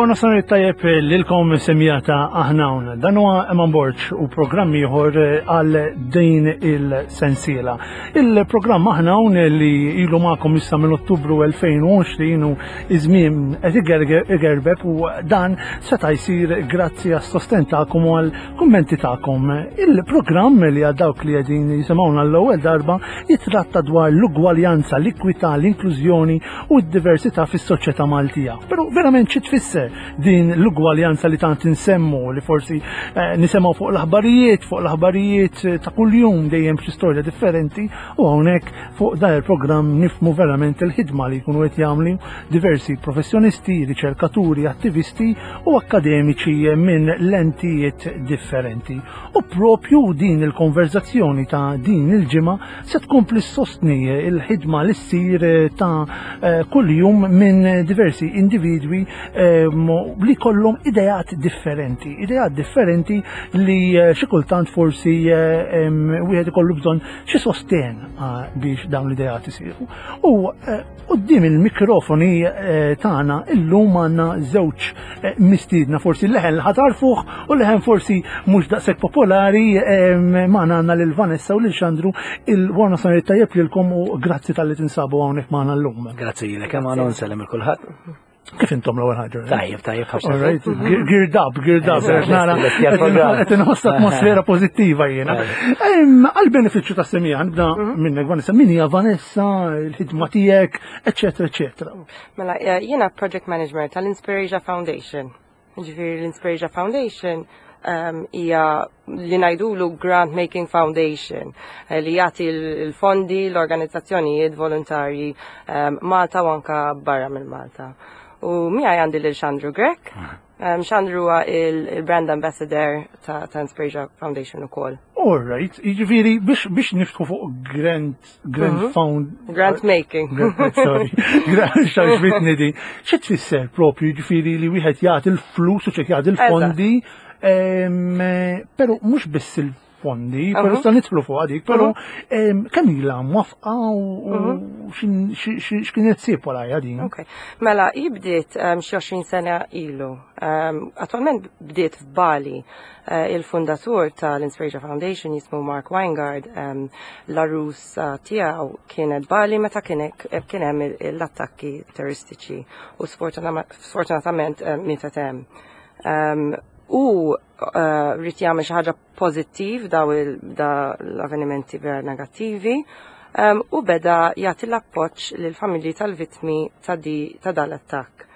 Il-Warna Sanar tajjeb lilkom semjata aħna hawn. Dan huwa Eman Borg u programm ieħor għal din il-sensiela. Il-programm aħna hawn li ilu magħkom issa minn Ottubru 2020 u iż-żmien qed igerbeb u dan seta' jsir grazzi għas-sosten tagħkom u għal kummenti tagħkom. Il-programm li għal dawk li qegħdin jisimgħuna l-ewwel darba jitratta dwar l-ugwaljanza, l-ikwità, l-inklużjoni u d-diversità fis-soċjetà Maltija. Però verament xi tfisser din l-ugwaljanza li tant insemmu li forsi eh, nisemgħu fuq l-aħbarijiet, fuq l-aħbarijiet eh, ta' kuljum dejjem xi storja differenti u hawnhekk fuq dan il-programm nifmu verament il-ħidma li jkunu qed jagħmlu diversi professjonisti, riċerkaturi, attivisti u akkademiċi minn lentijiet differenti. U propju din il-konverzazzjoni ta' din il-ġimgħa se tkompli sostni il-ħidma li ssir ta' eh, kuljum minn diversi individwi eh, li kollhom ideat differenti, ideat differenti li eh, xi kultant forsi wieħed ikollu bżonn xi sosten biex dawn l-ideat isiru. U Quddiem il-mikrofoni eh, tagħna illum għandna żewġ eh, mistiedna forsi leħen li ħatarfuh u leħen forsi mhux daqshekk popolari eh, magħna għandna lil Vanessa u lil Xandru il-warna sanar tajjeb lilkom u grazzi tal-li tinsabu hawnhekk magħna llum. Grazzi lilek hemm għandna nsellem il kulħadd. Kif intom l-ewwel ħaġa? Tajjeb, tajjeb ħafna. All right, geared up, geared up, nara. Qed inħoss atmosfera pożittiva jiena. Għal-benefiċċju ta' semija, nibda mhm. minnek Vanessa, min hija Vanessa, il-ħidma tiegħek, eċetera, eċetera. Mela, eh, jiena project manager tal-Inspirasia Foundation. Ġifieri l-Inspirasia Foundation ehm, hija li ngħidulu Grant Making Foundation eh, li jagħti l-fondi l-organizzazzjonijiet volontarji ehm, Malta u anka barra minn Malta. U miegħi għandi lil Xandru Grech. Ehm, Xandru huwa il-brand ambassador ta', ta Inspirasia Foundation ukoll. All right, jiġifieri biex biex niftħu fuq grant grant mhm. found. Grant making. Grant, sorry. Grant xaġbitni di. Xi tfisser propju jiġifieri li wieħed jagħti l-flus u ċek jagħti l-fondi, però mhux biss il-fondi, però mhm. sa nidħlu fuq dik, però mhm. kemm ilha mwafqa u x'kienet sib warajja din. Ok. Mela, hi bdiet xi 20 sena ilu. Attualment bdiet f'Bali. Eh, il-fundatur tal-Inspirasia Foundation jismu Mark Weingard, l-arus eh, tiegħu kienet Bali meta kien hemm l-attakki terroristiċi u sfortunatament eh, mietet hemm. U rrid jagħmel xi ħaġa pożittiv daw l-avvenimenti vera negattivi u beda jagħti l-appoġġ lill-familji tal-vittmi ta' dan l-attakk.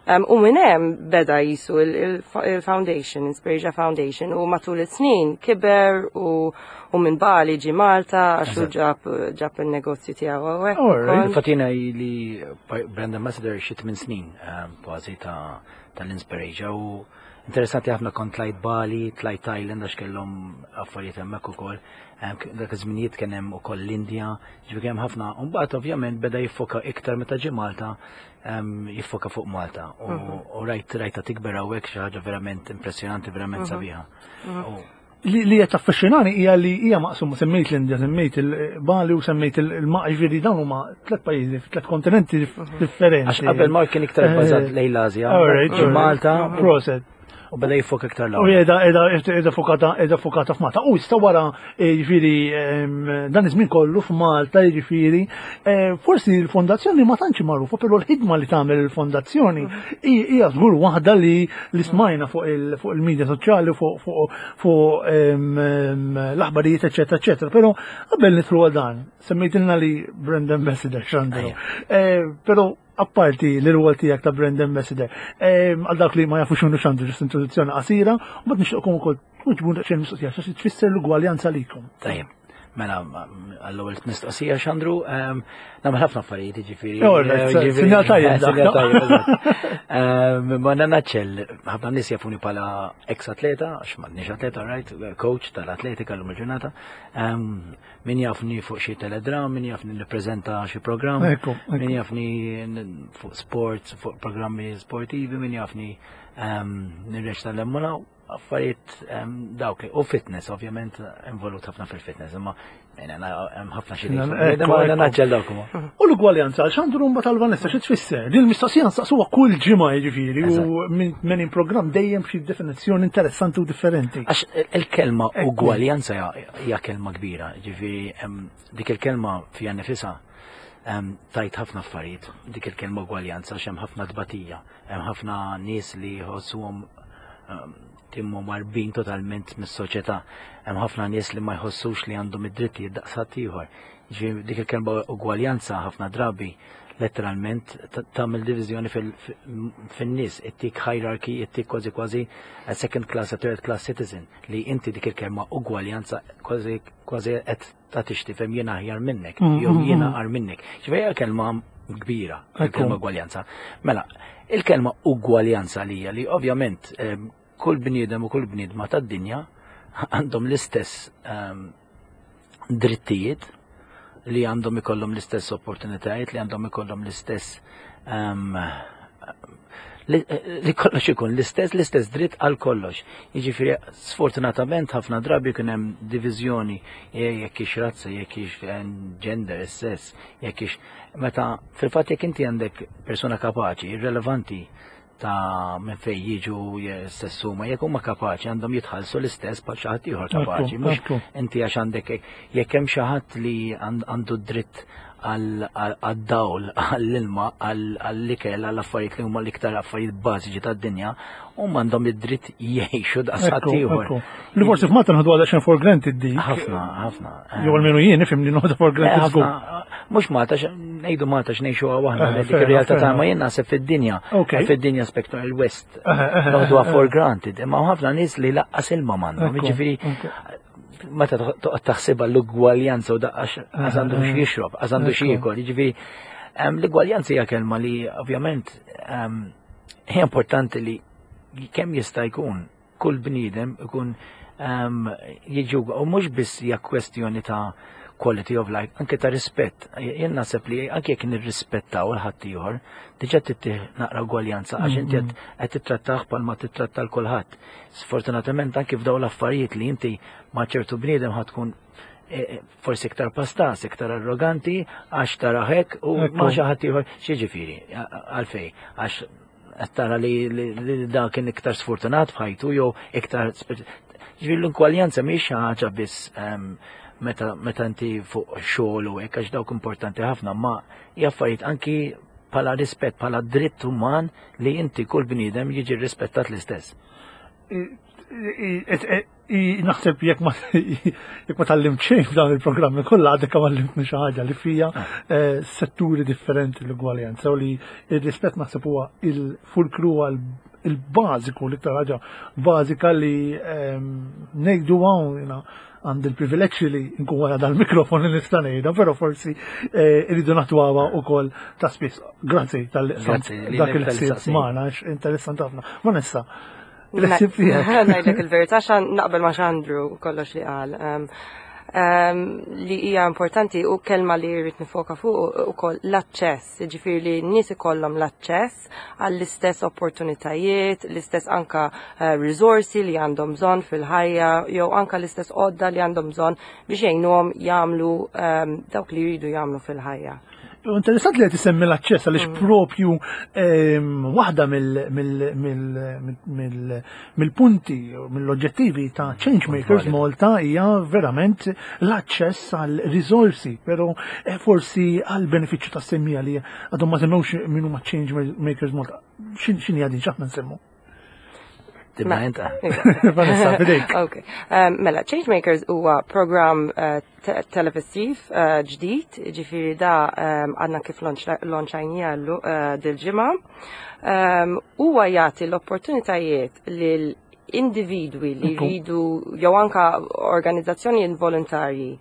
U minn hemm beda jisu il-foundation, Inspirasia Foundation, u matul is-snin kiber u u minn Bali ġi Malta għax hu ġab ġab il-negozju tiegħu hawnhekk. Infatti jiena li brand ambassador xi tmien snin kważi ta' tal-Inspirasia u interessanti ħafna kont tlajt Bali, tlajt Thailand għax kellhom affarijiet hemmhekk ukoll. Dak iż-żminijiet kien hemm ukoll l-Indja, ġifieri hemm ħafna. U mbagħad ovvjament beda jiffoka iktar meta ġie Malta jiffoka fuq Malta u mhm. rajt rajta tikber hawnhekk xi ħaġa verament impressjonanti, verament mhm. sabiħa. Mhm. Li li qed taffaxxinani hija li hija maqsuma semmejt l-Indja, semmejt il-Bali u semmejt il-Maq, ġifieri dawn huma tliet pajjiżi, tliet kontinenti differenti. Għax qabel Mark kien iktar bbażat eh, lejn l-Asja, Malta. Proset. U beda jiffoka iktar l U qiegħda qiegħda qiegħda fokata qiegħda fokata f'Malta. U issa wara eh, jiġifieri dan iż-żmien kollu f'Malta jiġifieri eh, forsi l-fondazzjoni ma tantx magħrufa, però l-ħidma li tagħmel il-fondazzjoni hija żgur waħda li li smajna fuq il-medja soċjali fuq fuq fuq l-aħbarijiet eċetera eċetera. Però qabel nidħlu għal dan, semmejtilna li brand ambassador x'għandu. Eh, però apparti li rwol tiegħek ta' brand ambassador, ehm, għal dawk li ma jafux x'inhu x'għandu ġust introduzzjoni qasira, u mbagħad nixtieqkom ukoll tweġbu daqsxejn mistoqsija x'għax tfisser l-ugwaljanza likom. Tajjeb. Mela, għall-ewwel mistoqsija xandru, ehm, nagħmel ħafna affarijiet, jiġifieri. Eh, sinjal tajjeb. Sinjal tajjeb. Ehm, ma naċċell, ħafna nies jafuni bħala ex atleta, għax m'għandniex atleta, right, coach tal-atletika l-lum il-ġurnata. Min jafni fuq xi teledram, min jafni nippreżenta xi programm, min jafni fuq sports, fuq programmi sportivi, min jafni ehm, nirreċta l-emmuna. Affarijiet dawk li u fitness, ovvjament involut ħafna fil-fitness, imma hemm ħafna xi naġġel dawk huma. U l-ugwaljanza għal xandu rumba tal-Vanessa xi tfisser? Din il-mistoqsija nsaqsuha kull ġimgħa jiġifieri u minn in programm dejjem xi definizzjoni interessanti u differenti. Għax il-kelma ugwaljanza hija kelma kbira, ġifieri dik il-kelma fija nifisha tajt ħafna affarijiet, dik il-kelma ugwaljanza għax hemm ħafna tbatija. Hemm ħafna nies li jħossuhom ehm, timmu marbin totalment mis-soċjetà. Hemm ħafna nies li ma jħossux li għandhom id-drittijiet daqs ħaddieħor. Ġifieri dik il-kelma ugwaljanza ħafna drabi letteralment tagħmel diviżjoni fin-nies, ittik hierarchy, ittik kważi kważi a second class, a third class citizen li inti dik il-kelma ugwaljanza kważi kważi qed ta' tixtifhem jiena aħjar minnek, jew jiena agħar minnek. Ġifieri kelma kbira, il-kelma ugwaljanza. Mela, il-kelma ugwaljanza li hija li ovvjament kull bniedem u kull bniedma tad-dinja għandhom l-istess drittijiet li għandhom ikollhom l-istess opportunitajiet, li għandhom ikollhom l-istess li kollox ikun l-istess l-istess dritt għal kollox. Jiġifieri sfortunatament ħafna drabi kien hemm diviżjoni jekk hix razza, jekk hix eh, gender, sess, jekk hix meta fil-fatt jekk inti għandek persuna kapaċi, irrelevanti ta' minn fejn jiġu stess huma jekk huma kapaċi għandhom jitħallsu l-istess bħal xi ħadd ieħor kapaċi. Mhux inti għax għandek jekk hemm xi ħadd li għandu dritt għad-dawl, għall-ilma, għall-ikel, għall-affarijiet li huma l-iktar affarijiet bażiċi tad-dinja, huma għandhom id-dritt jgħixu daqs ħaddieħor. Li forsi f'Malta nħadu għal xejn for granted dik. Ħafna, ħafna. Jew almenu jien nifhem li noħdu for granted żgur. Mhux Malta, ngħidu Malta x'ngħixuha waħna eh, dik ir-realtà ta' ma jien naħseb fid-dinja. Fid-dinja spektru il-West. Eh, eh, noħduha for granted. Imma ħafna nies li laqqas ilma m'għandhom. Jiġifieri meta toqgħod taħsibha l-ugwaljanza u daqqax għax għandu xi jixrob, għax għandu xi jiekol, jiġifieri l-ugwaljanza hija kelma li ovvjament hija importanti li kemm jista' jkun kull bniedem ikun jiġu u mhux biss hija kwestjoni ta' quality of life, anke ta' rispett. Jien naħseb li anke jekk nirrispettaw il-ħaddieħor, diġà tittih naqra ugwaljanza għax inti qed tittrattah bħalma titratta l kulħadd. Sfortunatament anki f'daw l-affarijiet li inti ma' ċertu bniedem ħa tkun eh, eh, forsi iktar pastas, iktar arroganti, għax tara hekk u ma xi ħadd ieħor x'jiġifieri għalfej għax qed tara li da kien iktar sfortunat f'ħajtu jew iktar Ġifieri l-inkwaljanza mhix xi ħaġa biss ehm, meta meta inti fuq xogħol u hekk għax dawk importanti ħafna, ma hija affarijiet anki bħala rispett, bħala dritt uman li inti kull bniedem jiġi rispettat l-istess. Naħseb jekk ma jekk ma tallimt xejn f'dan il-programmi kollha għadek kemm għallimtni xi ħaġa li fija ah. eh, setturi differenti l-ugwaljanza u li r-rispett naħseb huwa il-fulkru il-bażiku l-iktar ħaġa bażika li ehm, ngħidu hawn għandi l-privileġġ li nkun wara dal-mikrofon li nista' ngħidha, però forsi eh, irridu naħtuha wkoll ta' spiss. Grazzi tal dak il-ħsieb magħna, interessanti ħafna. Vanessa, il-ħsieb tiegħek. Ngħidlek il-verità xan naqbel ma' Xandru kollox li qal. Li hija importanti u kelma li rrid nifoka fuq ukoll l-aċċess, jiġifieri li n-nies ikollhom l-aċċess għall-istess opportunitajiet, l-istess anka eh, risorsi li għandhom bżonn fil-ħajja, jew anka l-istess għodda li għandhom bżonn biex jgħinuhom jagħmlu ehm, dawk li jridu jagħmlu fil-ħajja. Interessant li qed isemmi l-aċċess għaliex mm. propju ehm, waħda mill-punti, mill-oġġettivi ta' Changemakers Malta hija verament l-aċċess għal risorsi, però eh, forsi għal benefiċċju ta' semmija li għadhom ma semmewx min huma Changemakers Malta. X'inhi għadin x'aħna nsemmu? Tibda inta. Vanessa, fidejk. Ok. Ehm, mela, Changemakers huwa program eh, televisiv eh, ġdid, ġifiri da ehm, għadna kif launchajnija eh, dil-ġimgħa. Ehm, huwa jagħti l-opportunitajiet lil individwi li jridu jew anka organizzazzjoni involontarji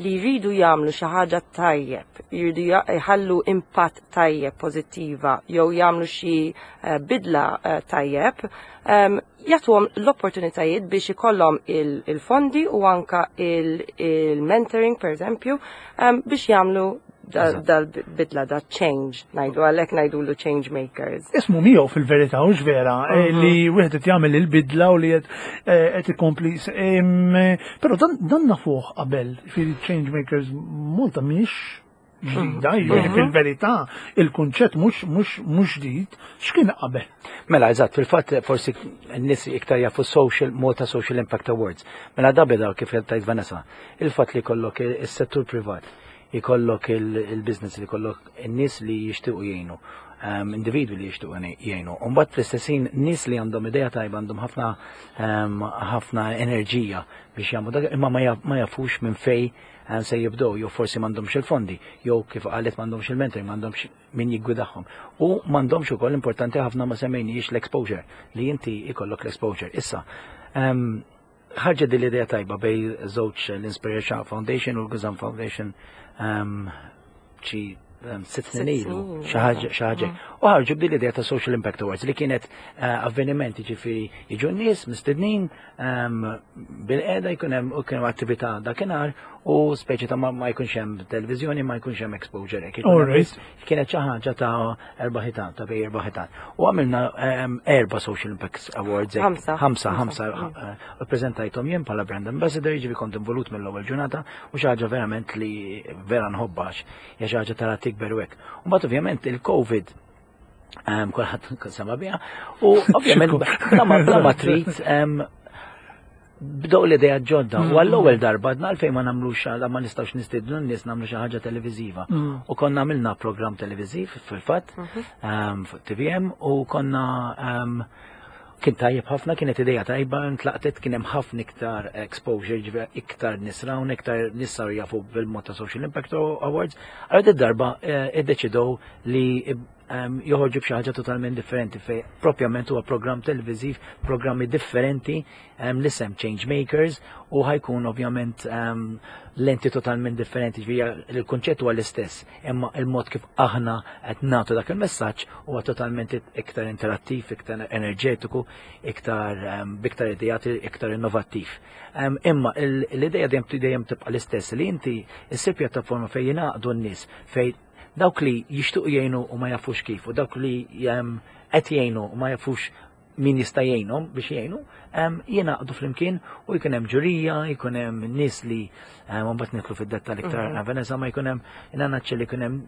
li jridu jagħmlu xi ħaġa tajjeb, jridu jħallu impatt tajjeb pożittiva jew jagħmlu xi eh, bidla eh, tajjeb, ehm, jagħtuhom l-opportunitajiet biex ikollhom il-fondi u anka il-mentoring pereżempju ehm, biex jagħmlu dal-bidla, da change, ngħidu għalhekk ngħidulu change makers. Ismu miegħu fil-verità hux vera eh, mhm. li wieħed qed jagħmel il-bidla u li qed eh, ikompli. Però dan nafuh qabel fil-change makers Malta mhix ġdida, mhm. jiġifieri mhm. fil-verità il-kunċett mhux mhux mhux ġdid, x'kien qabel? Mela, eżatt, fil-fatt forsi n-nies iktar jafu social Malta Social Impact Awards. Mela da beda kif tajt Vanessa, il-fatt li jkollok is-settur privat, jkollok il-business li jkollok in-nies li jixtiequ jgħinu, ehm, individwi li jixtiequ jgħinu. U mbagħad fl-istessin nies li għandhom idea tajba għandhom ħafna ehm, ħafna enerġija biex jagħmlu dak imma ma jafux minn fej eh, se jibdew jew forsi m'għandhomx il-fondi, jew kif qalet m'għandhomx il-mentoring, m'għandhomx min jiggwidahom. U m'għandhomx ukoll importanti ħafna ma semmejniex l-exposure li inti ikollok l-exposure. Issa, ehm, ħarġet din l-idea tajba bej żewġ l-Inspiration Foundation u l-Guzan Foundation ehm, xi ehm, sitt snin ilu, xi ħaġa. Mm. U ħarġu b'din l-idea ta' Social Impact Awards li kienet eh, avveniment ġifieri jiġu n-nies mistednin ehm, bil-qeda jkun hemm u kien attività dakinhar u speċi ta' ma jkunx hemm televiżjoni, ma jkunx hemm exposure. Kienet xi ħaġa ta' erba' ħitan, ta' bej erba' ħitan. U għamilna ehm, erba' Social Impact Awards. Ħamsa. Ħamsa, ħamsa. Mm. Eh, prezentajtom jien bħala brand ambassador, ġifi kont involut mill-ewwel ġurnata u xi ħaġa verament li vera nħobbax, hija xi ħaġa tara tikber u hekk. U mbagħad ovvjament il-COVID ehm, kulħadd sema biha u ovvjament bla ma trid ehm, bdew l-idea ġodda. U għall-ewwel darba għadna għalfejn ma nagħmlux għala ma nistgħux nistiednu n-nies nagħmlu xi ħaġa televiżiva. Mm. U konna għamilna programm televiżiv fil-fatt mhm. ehm, fuq TVM u konna ehm, kien tajjeb ħafna, kienet ideja tajba, ntlaqtet kien hemm ħafna iktar exposure, ġifieri iktar nies rawn, iktar nies saru jafu bil-mod ta' Social Impact Awards. Għal darba eh, iddeċidew li ehm, joħorġu b'xi ħaġa totalment differenti fej propjament huwa programm televiżiv, programmi differenti ehm, l-isem Change Makers u ħajkun ovvjament ehm, lenti totalment differenti, ġifieri il-kunċett huwa l-istess, imma il-mod kif aħna qed nagħtu dak il-messaġġ huwa totalment iktar interattiv, iktar enerġetiku, iktar biktar ideat, iktar innovattiv. Imma l-idea dejjem dejjem tibqa' l-istess li inti issir pjattaforma fejn jingħaqdu n-nies fejn dawk li jixtuq jgħinu u ma jafux kif u dawk li qed jgħinu u ma jafux min jista' jgħinhom biex jgħinu, jingħaqdu flimkien u jkun hemm ġurija, jkun hemm nies li mbagħad nidħlu fid-dettall iktar mm -hmm. ma jkun hemm inanaċċa li jkun hemm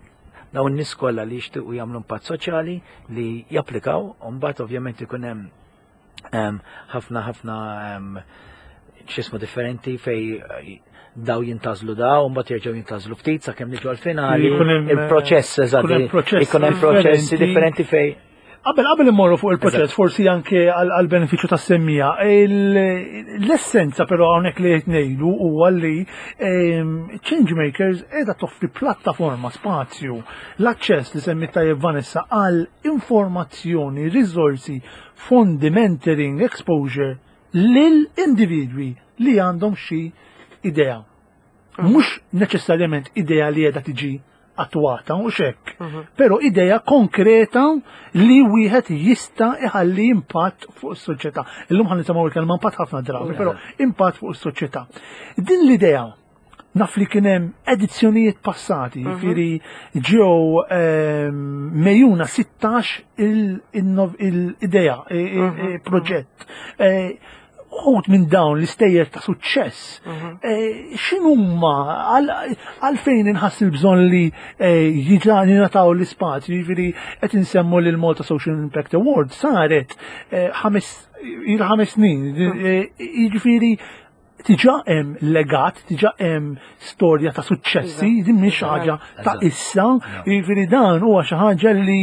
dawn nies kollha li jixtiequ jagħmlu impatt soċjali li japplikaw, u mbagħad ovvjament ikun hemm ħafna ħafna xismu differenti fej eh, daw jintazlu daw, mbagħad jerġgħu jintazlu ftit sakemm niġu għall-finali. Il-proċess eżatt. Ikun hemm proċessi differenti fej. Qabel qabel immorru fuq il-proċess, forsi anke għal benefiċċju tas-semmija, l-essenza però hawnhekk li qed ngħidu huwa li ehm, Changemakers qiegħda toffri plattaforma, spazju, l-aċċess li semmit tajjeb Vanessa għal informazzjoni, riżorsi, fondi, mentoring, exposure lil individwi li għandhom xi idea. Mhm. Mhux neċessarjament idea li qiegħda tiġi attwata u xekk, mhm. però idea konkreta li wieħed jista' iħalli impatt fuq is-soċjetà. Illum ħan nisimgħu il-kelma impatt ħafna drabi, però impatt fuq is-soċjetà. Din l-idea naf li kien hemm edizzjonijiet passati, mhm. jiġifieri ġew ehm, mejuna 16 il-idea, mhm. proġett. E, uħut minn dawn l-istejjer ta' suċċess, mhm. e, x'inhuma għalfejn inħass il-bżonn li e, jiġa jingħataw l-ispazju, jiġifieri qed insemmu lil Malta Social Impact Award saret ħames il-ħames snin, jiġifieri Diġà hemm legat, diġà hemm storja ta' suċċessi, iva. din mhix ħaġa ta' issa, jiġifieri dan huwa xi ħaġa li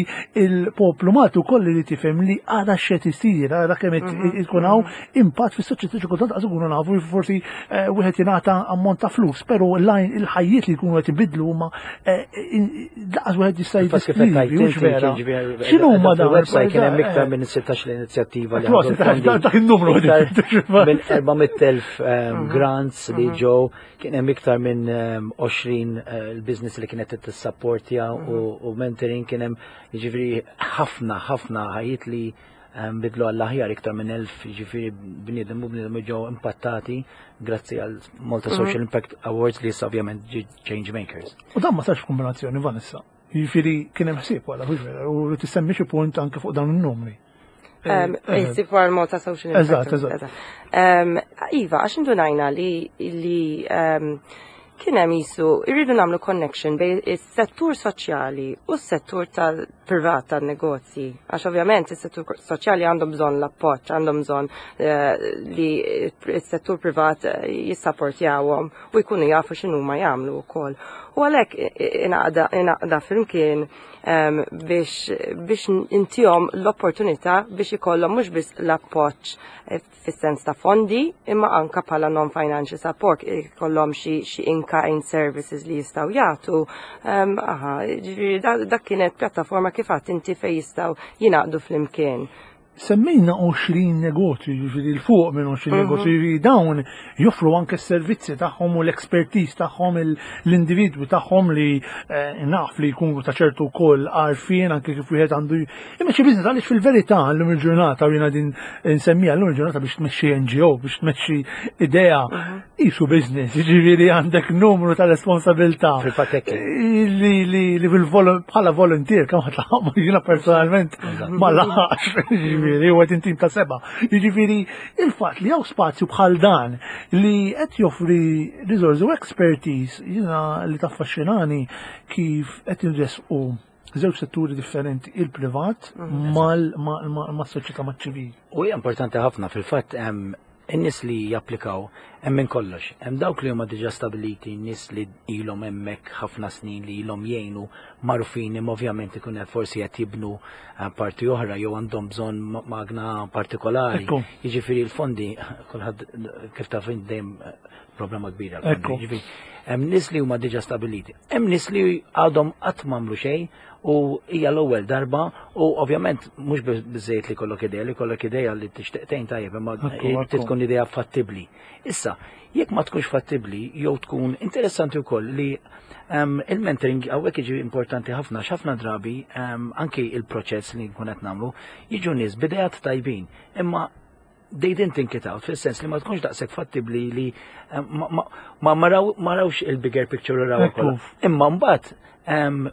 l-poplu Malti wkoll li tifhem li għadha x'qed isir, għadha kemm mhm. ikun hawn mhm. impatt fis-soċjetà xi kultant qas ikunu nafu forsi eh, wieħed jingħata ammont ta' flus, però il-ħajjiet li jkunu qed ibidlu huma eh, laqas wieħed jista' jiddeskrivi, hux vera. X'inhu huma dawn? Website kien hemm iktar minn 16 l-inizjattiva li għandu. Dak in-numru minn 400,000 ehm, mhm. grants li mhm. ġew, kien hemm iktar minn 20 ehm, eh, il-business li kienet tissapportja mhm. u mentoring kien hemm jiġifieri ħafna ħafna ħajjiet li. bidlu għall-aħjar iktar minn 1000 ġifieri bniedem u bniedem ġew impattati grazzi għal Malta Social Impact Awards li issa ovvjament ġi Change Makers. U dan ma sarx kombinazzjoni, Vanessa. Jiġifieri kien hemm ħsieb wara, hux vera, u li tissemmi xi punt anke fuq dawn in-numri. Ħsieb wara l-Malta Social Impact. Eżatt, eżatt. Iva, għax indunajna li kien hemm jisu irridu nagħmlu connection bejn is-settur soċjali u s-settur tal-privat tan-negozji. Għax ovvjament is-settur soċjali għandhom bżonn l-appoġġ, għandhom bżonn li s-settur privat jissapportjawhom u jkunu jafu x'inhuma jagħmlu wkoll. U għalhekk ingħaqda flimkien biex biex intihom l-opportunità biex ikollhom mhux biss l-appoġġ fis-sens ta' fondi, imma anka bħala non-financial support, ikollhom xi in-kind services li jistgħu jagħtu. Aha, ġifieri dak kienet pjattaforma kif għedt inti fejn jistgħu jingħaqdu flimkien. Semmejna 20 negozju, ġifieri 'l fuq minn 20 negozju, ġifieri dawn joffru anke s-servizzi tagħhom u l-expertise tagħhom, l-individwi tagħhom li naf li jkunu ta' ċertu wkoll għarfien anke kif wieħed għandu imexxi business, għaliex fil-verità llum il-ġurnata, u jiena din nsemmija llum il-ġurnata biex tmexxi NGO, biex tmexxi idea, qisu business, ġifieri għandek numru ta' responsabilità. Fil-fatt hekk. Li bħala volunteer kemm ħadd laħaq, jiena personalment ma laħaqx, ġifieri u qed intim ta' seba'. Jiġifieri il-fatt li hawn spazju bħal dan li qed joffri risorsi u expertise, jiena li taffaxxinani kif qed inresqu żewġ setturi differenti, il-privat mas-soċjetà maċ-ċivil. U hija importanti ħafna fil-fatt hemm in-nies li japplikaw hemm minn kollox. Hemm dawk li huma diġà stabiliti, nies li ilhom hemmhekk ħafna snin li ilhom jgħinu magħrufin, imma ovvjament ikun hemm forsi qed jibnu parti oħra jew għandhom bżonn magna partikolari. Jiġifieri l-fondi kulħadd kif taf int dejjem problema kbira. Jiġifieri hemm nies li huma diġà stabiliti. Hemm nies li għadhom qatt m'għamlu xejn u hija l-ewwel darba u ovvjament mhux biżejjed li kollok idea, li kollok idea li tixtieq tgħin tajjeb, imma trid tkun idea fattibbli. Issa, jekk ma tkunx fattibbli jew tkun interessanti wkoll li il-mentoring hawnhekk jiġi importanti ħafna, x'ħafna drabi anki il-proċess li nkun qed nagħmlu jiġu nies b'ideat tajbin, imma they didn't think it out, fil-sens li ma tkunx daqshekk fattibbli li ma marawx il-bigger picture u raw kollha. Imma mbagħad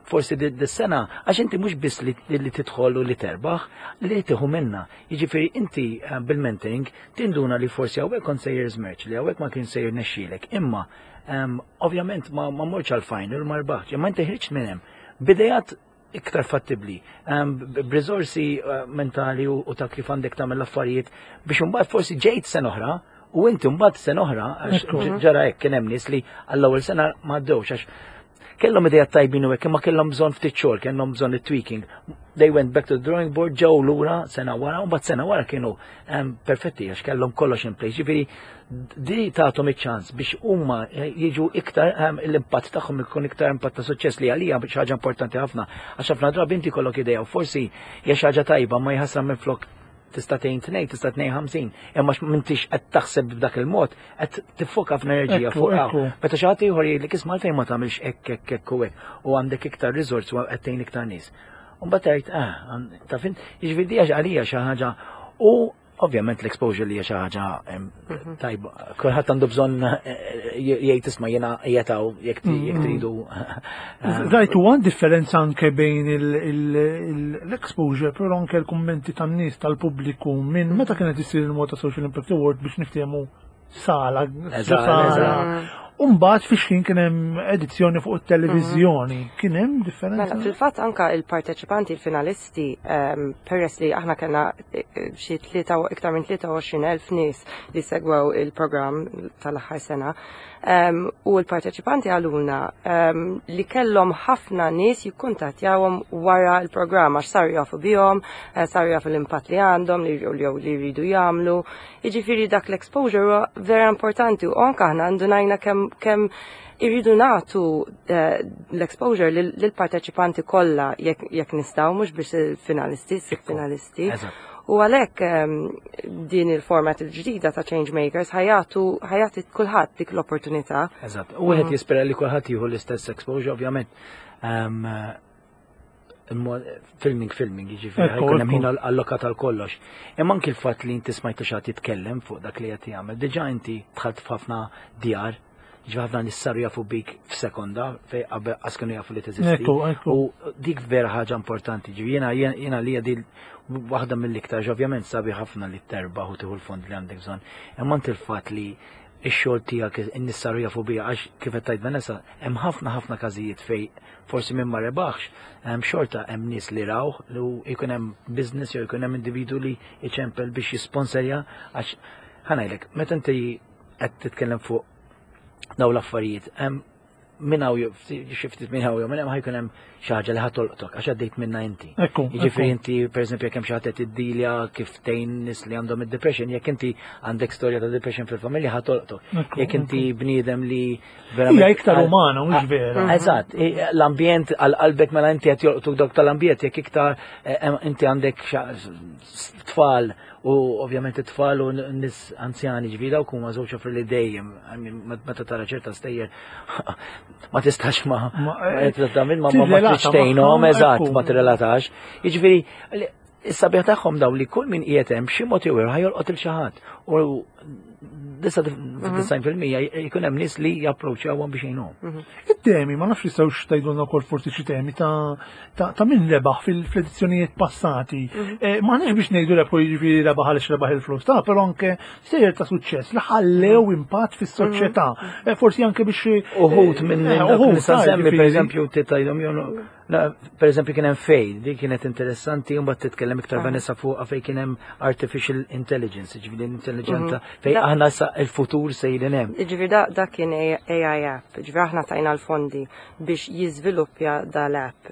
forsi dis-sena, għax inti mhux biss li tidħol u li terbaħ, li tieħu minna. Jiġifieri inti bil-mentoring tinduna li forsi hawnhekk kont sejjer żmerċ, li hawnhekk ma kien sejjer nexxielek, imma ovvjament ma mortx għal-final u ma rbaħtx, imma inti ħriġt minn hemm. B'idejat iktar fattibli, b'riżorsi mentali u ta' kif għandek tagħmel l-affarijiet biex imbagħad forsi ġejt sena oħra u inti mbagħad sena oħra għax ġara hekk kien hemm nies li għall-ewwel sena ma għaddewx għax kellhom idea tajbin u hekk imma kellhom bżonn ftit xogħol, kellhom bżonn it-tweaking. They went back to the drawing board, ġew lura sena wara, u mbagħad sena wara kienu perfetti għax kellhom kollox in place. Ġifieri di tagħthom iċ-ċans biex huma jiġu iktar l-impatt tagħhom ikun iktar impatt ta' suċċess li għalija xi ħaġa importanti ħafna. Għax ħafna drabi inti kollok idea u forsi hija xi ħaġa tajba ma jħassra minn flok tista' tgħin tnejn, tista' tnejn 50, imma m'intix qed taħseb b'dak il-mod, qed tiffoka f'enerġija fuq hawn. Meta xi ħadd ieħor jgħidlek isma' għalfejn ma tagħmilx hekk hekk hekk u hekk u għandek iktar riżorsi u qed tgħin iktar nies. U mbagħad tgħid, taf int, jiġifieri di għalija xi ħaġa u ovvjament l-exposure li hija xi ħaġa tajba. Kulħadd għandu bżonn jgħid isma' jiena qiegħed hawn jekk tridu. Rajtu għand differenza anke bejn l-exposure, però anke l-kummenti tan-nies tal-pubbliku minn meta kienet issir il-Malta Social Impact Award biex niftehmu sala, sala. Umbagħad fiex kien hemm edizzjoni fuq it-televiżjoni, kien hemm differenza? Mela, fil-fatt anka il-parteċipanti, il-finalisti, peress li aħna kellna xi iktar minn 23,000 nies li segwew il-programm tal-aħħar sena, u l-parteċipanti għaluna li kellhom ħafna nies jikkuntattjawhom wara l-programm għax saru jafu bihom, saru jafu l-impatt li għandhom, li li jridu jagħmlu. Jiġifieri dak l-exposure huwa vera importanti u anke aħna ndunajna kemm irridu nagħtu l-exposure lill-parteċipanti kollha jekk nistgħu, mhux biex il-finalisti, sitt finalisti. U għalhekk din il-format il-ġdida ta' Change Makers ħajatu kulħadd dik l-opportunità. Eżatt. U wieħed jispera li kulħadd jieħu l-istess exposure, ovvjament. Filming, filming, jiġifieri ħajkun hemm ħin allokat għal kollox. Imma anki l-fatt li inti smajtu xi jitkellem fuq dak li qed jagħmel, diġà inti dħalt f'ħafna djar, ġifieri ħafna nies saru jafu bik f'sekonda fej qabel qas kienu jafu li teżisti. U dik vera ħaġa importanti, ġifieri jiena jiena li di waħda mill-iktar ovvjament sabi ħafna li terbaħ u tieħu l-fond li għandek bżonn. Imma anti l-fatt li ix-xogħol tiegħek in-nies saru jafu bija għax kif qed tgħid Vanessa hemm ħafna ħafna każijiet fej forsi min ma rebaħx, hemm xorta hemm nies li raw li jkun hemm business jew jkun hemm individu li jċempel biex jisponsorja għax ħanajlek, meta inti qed titkellem fuq daw l-affarijiet, hemm minn hawn xi ftit minn hawn jew minn hemm ħajkun hemm xi ħaġa li ħatolqtok għax għaddejt minna inti. Jiġifieri inti pereżempju jekk hemm xi ħadd qed iddilja kif tgħin nies li għandhom id-depression, jekk inti għandek storja ta' depression fil-familja ħatolqtok. Jekk inti bniedem li Hija iktar umana, mhux vera. Eżatt, l-ambjent għal qalbek mela inti qed jolqtuk dawk tal-ambjent jekk iktar eh, inti għandek tfal u ovvjament it-tfal u nis anzjani ġifieri dawk huma żewġ offri li dejjem meta tara ċerta stejjer ma tistax ma eh, ma ma tridx tgħinhom eżatt ma tirrelatax. Jiġifieri Is-sabiħ tagħhom daw li kull min qiegħed hemm xi mod jew ieħor ħajolqot il xi ħadd. U 99% jkun hemm nies li japproċċjawhom biex jgħinuhom. Mhm. It-temi, ma nafx jistgħux tgħidulna wkoll forsi xi temi ta' min rebaħ fil-edizzjonijiet passati. Mhm. Eh, ma nafx biex ngħidu rebħu jiġifieri rebaħ għaliex rebaħ il-flus ta' però anke sejjer ta' suċċess li ħallew mhm. impatt fis-soċjetà. Eh, forsi anke biex eh, uħud minn uħud semmi pereżempju tgħidhom Per eżempju kien hemm fej, di kienet interessanti, u mbagħad titkellem iktar ah. Vanessa fuqha fej kien hemm artificial intelligence, ġifieri intelligenta mhm. fej aħna sa il-futur sejrin hemm. Ġifieri da, da kien AI app, ġifieri aħna tajna l-fondi biex jiżviluppja dal-app.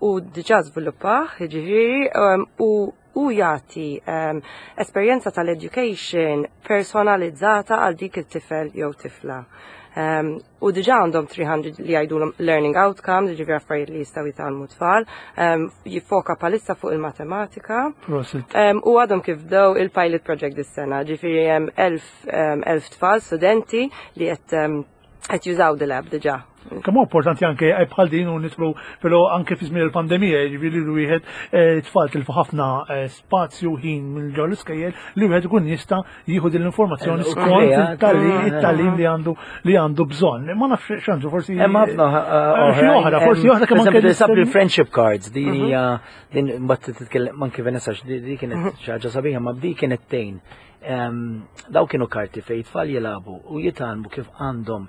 U diġà żviluppah, ġifieri, u u jagħti um, esperjenza tal-education personalizzata għal dik it-tifel jew tifla. Um, u diġa għandhom 300 li jgħidulhom learning outcomes, ġifieri affarijiet li jistgħu jitgħallmu tfal, um, jiffoka palissa fuq il-matematika. Um, u għadhom kif bdew il-pilot project dis-sena, ġifieri hemm elf tfal studenti li qed qed jużaw dil-app diġà. Kemm importanti anke eh, bħal din u nitlu però anke fi żmien il-pandemija, jiġifieri li wieħed eh, tfal tilfu ħafna eh, spazju ħin minn ġol l-iskejjel li wieħed ikun jista' jieħu din l-informazzjoni skont it-tagħlim li għandu li għandu bżonn. Ma nafx x'għandu forsi. Hemm ħafna oħra, forsi oħra kemm anke il-friendship cards din mhm. hija din mbagħad titkellem anke Vanessa di kienet mhm. xi ħaġa sabiħa ma di kienet tgħin Daw kienu karti fejn tfal jilagħbu u jitgħallmu kif għandhom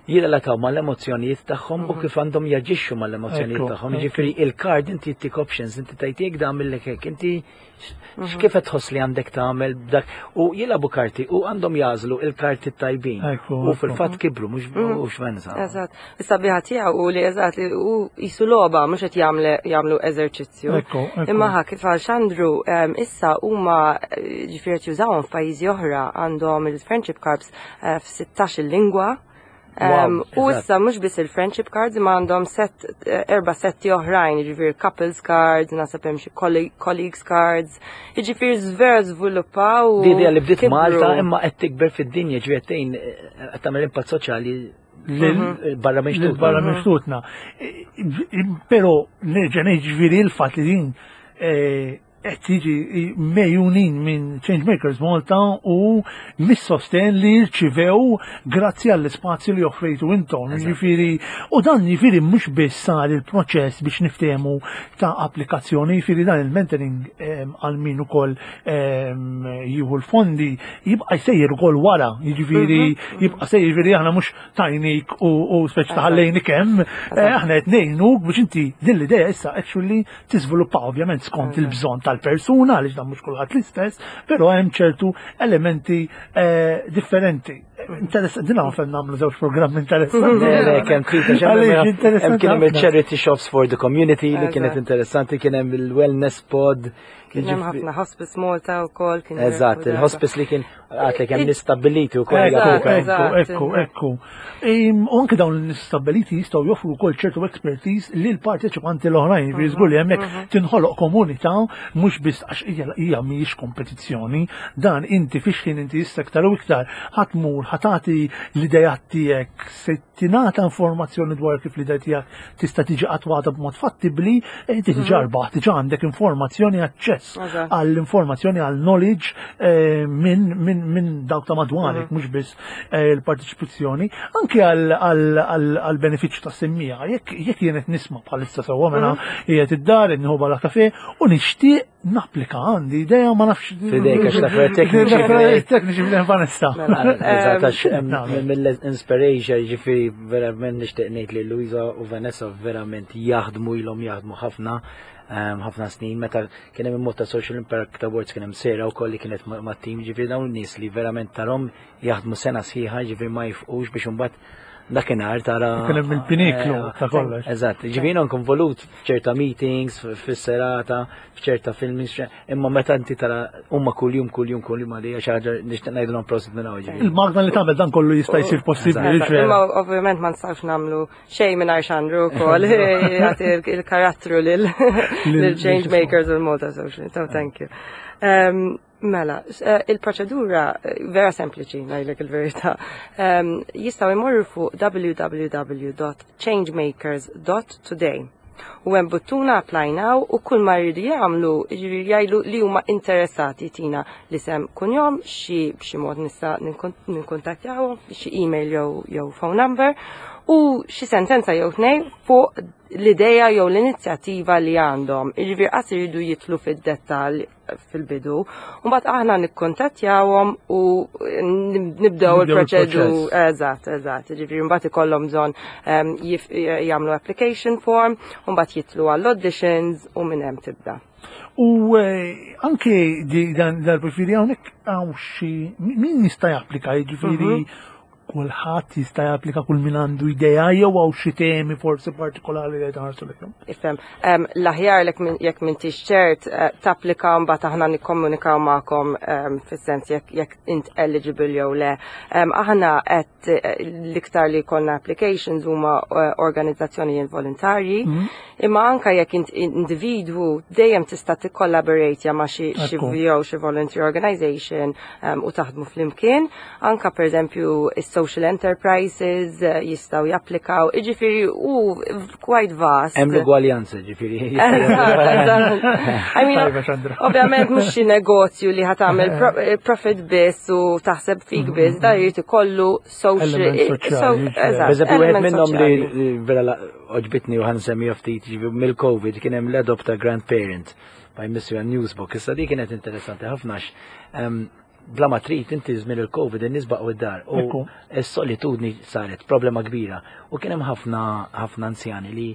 jirrelataw mal-emozzjonijiet tagħhom u mhm. kif għandhom jaġixxu mal-emozzjonijiet tagħhom. Jiġifieri il-card inti jtik options, inti tajt jekk għamillek hekk, inti mhm. x'kif qed tħoss li għandek tagħmel dak u jilagħbu karti u għandhom jażlu il-karti tajbin. U fil-fatt kibru mhux mhm. mhux venza. Eżatt. Is-sabiħa tiegħu u li eżatt li hu jisu logħba mhux qed jagħmlu eżerċizzju. Imma ħa kif għal Xandru issa huma eh, ġifieri qed jużawhom f'pajjiżi oħra għandhom il-friendship cards eh, f'16 il-lingwa. U issa mhux biss il-friendship cards imma għandhom set eh, erba' setti oħrajn, jiġifieri couples cards, naħseb hemm xi colleagues cards, jiġifieri vera żviluppaw. Di idea li bdiet Malta imma qed tikber fid-dinja, ġifieri qed qed tagħmel impatt soċjali mhm. barra minn xtutna. Barra minn xtutna. Però nerġa' ngħid ġifieri l-fatt li din eh, qed tiġi mejjunin minn Changemakers Malta u mis-sosten li rċivew grazzi għall-ispazju li offrejtu intom. Jiġifieri u dan jiġifieri mhux biss sar il-proċess biex niftehmu ta' applikazzjoni, jiġifieri dan il-mentoring ehm, għal min ukoll ehm, jieħu l-fondi jibqa' jsejjer ukoll wara, jiġifieri mhm. jibqa' sejjer jiġifieri aħna mhux tajnik u speċi taħallejni kemm, eh, aħna qed ngħinuk biex inti din l-idea issa actually tiżviluppa ovvjament skont il-bżonn tal-persuna għaliex dan mhux kulħadd l-istess, però hemm ċertu elementi eh, differenti. Interessanti, din għafem namlu żewġ programm interessanti. Le, kemm kien hemm il-charity shops for the community li kienet interessanti, kien hemm il-wellness pod. Kien hemm ħafna Hospice Malta wkoll kien. Eżatt, il-hospice li kien għad li kemm nistabbiliti wkoll. Ekku, ekku, ekku. U anke dawn l-nistabbiliti jistgħu joffru wkoll ċertu expertise lil parteċipanti l-oħrajn, jiġifieri żgur li hemmhekk tinħoloq komunità mhux biss għax hija mhijiex kompetizzjoni, dan inti fix ħin inti issa iktar u iktar ħa tmur ħa tagħti l-idejat tiegħek se tingħata informazzjoni dwar kif l-idea tiegħek tista' tiġi attwata b'mod fattibbli, eh, inti diġà mhm. rbaħt, diġà għandek informazzjoni aċċess għall-informazzjoni għall knowledge eh, minn min, min dawk ta' madwarek, mhm. mhux biss eh, il-partiċipazzjoni, anke għall-benefiċċju ta' semmija. Jekk jekk jien qed nisma' bħalissa sewwa mela mhm. qiegħed id-dar inħu bala kafe u nixtieq Napplika għandi idea ma nafx. Fidejk għax l-affarijiet tekniċi. Tekniċi f'din Vanessa. Mela, eżatt għax mill-Inspirasia ġifieri verament nixtieq ngħid li Luisa u Vanessa verament jaħdmu ilhom jaħdmu ħafna ħafna snin meta kien hemm ta' Social Impact Awards kien hemm sera wkoll li kienet mat-tim ġifieri dawn nies li verament tarhom jaħdmu sena sħiħa ġifieri ma jifqux biex imbagħad dakinhar tara. Kien hemm il-piniklu eh, ta' kollox. Eżatt, ġifieri nkun volut f'ċerta meetings, fis-serata, f'ċerta filmings, imma meta inti tara huma kuljum kuljum kuljum għalija xi ħaġa nixtieq ngħidilhom prosit minn hawn. Il-magna li tagħmel dan kollu jista' jsir possibbli. Imma ovvjament ma nistgħux nagħmlu xejn mingħajr xandru wkoll jagħti il-karattru lil change makers u l-Malta Social. So thank you. Um, Mela, eh, il-proċedura eh, vera sempliċi, ngħidlek il-verità. Ehm, jistgħu jmorru fuq www.changemakers.today u hemm buttuna apply now u kull ma jridu jagħmlu jiġifieri jgħidu li huma interessati tina l-isem kunjom xi b'xi mod nista' ninkuntattjawhom xi email jew jew phone number u xi sentenza jew tnejn fuq l-ideja jew l-inizjattiva li għandhom. Jiġifieri qas iridu jitlu fid-dettall fil-bidu. Mbagħad aħna nikkontattjawhom u nibdew il-proċedu. Eżatt, eżatt. Ġifieri mbagħad ikollhom bżonn ehm, jagħmlu application form, u mbagħad jitlu għall-auditions u minn hemm tibda. U eh, anke dan dal-profili hawnhekk hawn xi min jista' japplika, jiġifieri mhm. Kulħadd jista' japplika kull min għandu idea jew hawn xi temi forsi partikolari li tħarsu lejhom. Ifhem, l-aħjar jekk m'intix ċert eh, tapplika mbagħad aħna nikkomunikaw magħkom fis-sens jekk int eligible jew le. Aħna qed eh, l-iktar li jkollna applications huma eh, organizzazzjonijiet volontarji, mhm. imma anka jekk int individwu dejjem tista' tikkollaborate ma' xi jew xi volunteer organization u taħdmu flimkien. Anka per eżempju is-social enterprises eh, jistgħu japplikaw, jiġifieri u quite vast. Hemm l-ugwaljanza ġifieri. I mean, ovvjament mhux xi negozju li ħa tagħmel eh, profit biss u taħseb fik mm-hmm. biss, da jrid ikollu social. Eżempju, wieħed minnhom li vera oġbitni u ħansemmi ftit mill-COVID kien hemm l-adopt a grandparent by Mr. Newsbook. Issa di kienet interessanti ħafna bla ma trid inti żmien il-Covid in-nies baqgħu id-dar u s-solitudni saret problema kbira u kien hemm ħafna ħafna anzjani li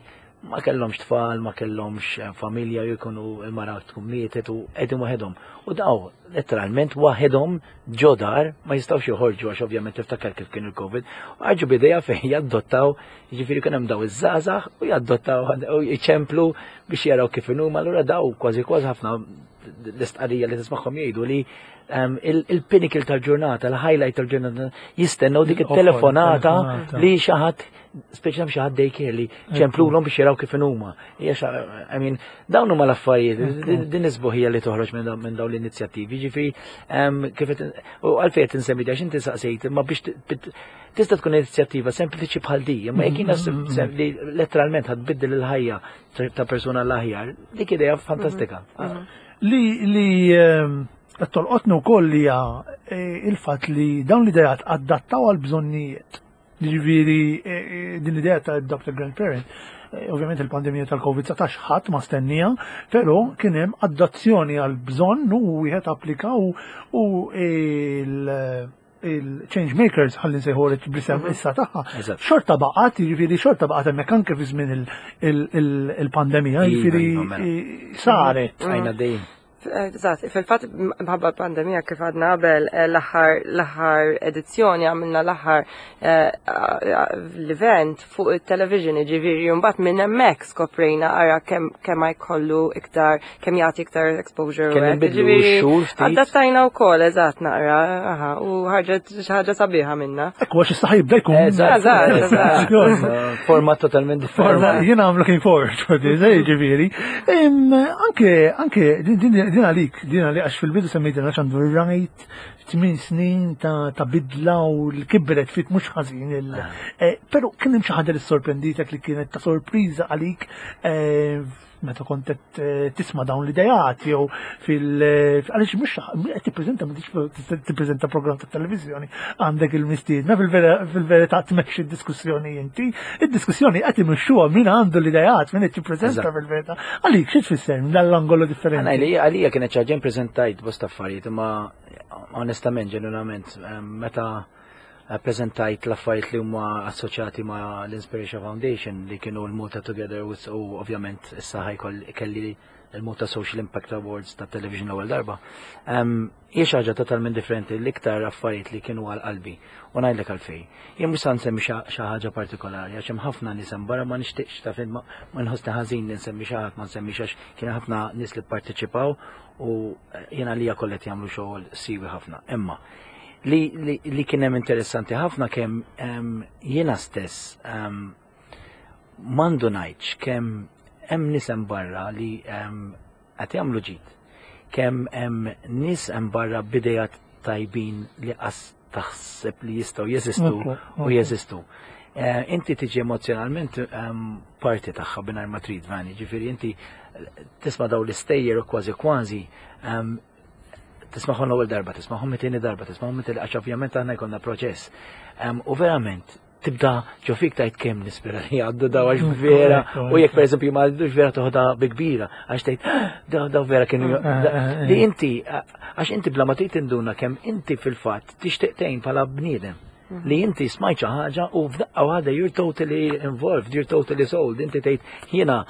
ma kellhomx tfal, ma kellhomx eh, familja jkunu il-mara tkun mietet u qegħdin waħedhom. U daw letteralment waħedhom ġo dar ma jistgħux joħorġu għax ovvjament tiftakar kif kien il-Covid. U ħarġu bidejja fejn jaddottaw, jiġifieri kien hemm daw iż-żgħażagħ u jaddottaw u jċemplu biex jaraw kif inhuma, allura daw kważi kważi ħafna l-istqarrija li tismagħhom jgħidu li ehm, il-pinnacle tal-ġurnata, l-highlight tal-ġurnata, jistennew dik it-telefonata li xi ħadd speċjalment xi ħadd daycare li ċemplulhom biex jaraw kif huma. I mean, dawn huma l-affarijiet, din isbuħija li toħroġ minn dawn l-inizjattivi, ġifieri ehm, kif u għalfejn qed insemmi għax inti saqsejt, imma biex tista' tkun inizjattiva sempliċi bħal di, imma jekk jiena mm-hmm. li letteralment ħadbiddel il-ħajja ta' persuna l-aħjar, dik idea fantastika. Mhm. Mhm. Li li ehm, qed tolqotni wkoll hija eh, il-fatt li dawn l-idejat adattaw għal bżonnijiet. Jiġifieri eh, eh, din l-idea ta' adopt a grandparent, ovvjament il-pandemija tal-COVID-19 ħadd ma stennija, però kien hemm adazzjoni għal bżonn u wieħed applika u il- il-change makers ħalli nsejħu bl-isem mhm. issa tagħha. Xorta baqgħet, jiġifieri xorta baqgħet hemmhekk anke fi żmien il-pandemija, jiġifieri iva, mela. saret. Għajna dejjem. Eżatt, fil-fatt mħabba pandemija kif għadna qabel eh, l-aħħar l-aħħar edizzjoni għamilna l-aħħar eh, l-event fuq it-television, ġifieri mbagħad minn hemmhekk skoprejna ara kemm kemm jkollu iktar kemm jagħti iktar exposure. Kemm inbidlu x-xhur ftit. Adattajna wkoll eżatt naqra, aha, u ħarġet xi ħaġa sabiħa minna. Ekku għax issa jibda jkun. Eżatt, eżatt. Format totalment differenti. Jiena I'm looking forward for this, eh, ġifieri. Anke, anke, din għalik, din għalik, għax fil-bidu semmejt għax għandu rajt 8 snin ta' bidla u l-kibret fit mhux ħażin. Ah. Eh, però kien hemm xi ħaġa li sorprenditek li kienet ta' sorpriża għalik eh, meta kont qed eh, tisma' dawn l-idejat jew fil għaliex mhux qed tippreżenta m'intix tippreżenta programm ta' televiżjoni għandek il-mistiedna fil-verità tmexxi d-diskussjoni inti, id-diskussjoni qed imexxuha min għandu l-idejat, min qed jippreżenta fil-verità. Għalik xi tfisser minn dal-angolu differenti? Għalija kienet xi ħaġa preżentajt bosta affarijiet imma onestament, ġenwinament, meta preżentajt l-affarijiet li huma assoċjati ma' l-Inspiration Foundation li kienu l-Malta Together u ovvjament issa ħajkoll kelli il-Malta Social Impact Awards ta' television l-ewwel darba. Hija xi ħaġa totalment differenti l-iktar affarijiet li kienu għal qalbi u ngħidlek għalfejn. Jien mhux se nsemmi xi ħaġa partikolari għax hemm ħafna nies hemm barra ma nixtieqx ta' fin ma nħossni ħażin li nsemmi xi ħadd ma nsemmix għax kien ħafna nies li pparteċipaw u jiena lija kollha qed jagħmlu xogħol siwi ħafna. Imma li, li, li kien hemm interessanti ħafna kemm jiena stess m'għandu ngħidx kemm hemm nies hemm barra li qed jagħmlu ġid. Kemm hemm nies hemm barra b'idejat tajbin li qas taħseb li jistgħu jeżistu u jeżistu. Eh, inti tiġi emozjonalment parti tagħha mingħajr ma trid vani, ġifieri inti tisma' daw l-istejjer u kważi kważi tismagħhom l-ewwel darba, tismagħhom it-tieni darba, tismagħhom it-tieni għax ovvjament aħna jkollna proċess. U verament tibda ġo fik tajt kemm nispera li għaddu daw għax vera u jekk pereżempju ma għaddux vera toħda bi kbira għax tgħid ah, daw daw vera kienu eh, eh, eh, li inti għax inti bla ma trid tinduna kemm inti fil-fatt tixtieq tgħin bħala bniedem mhm. li inti smajt xi ħaġa u f'daqqa waħda you're totally involved, you're totally sold, inti tgħid jiena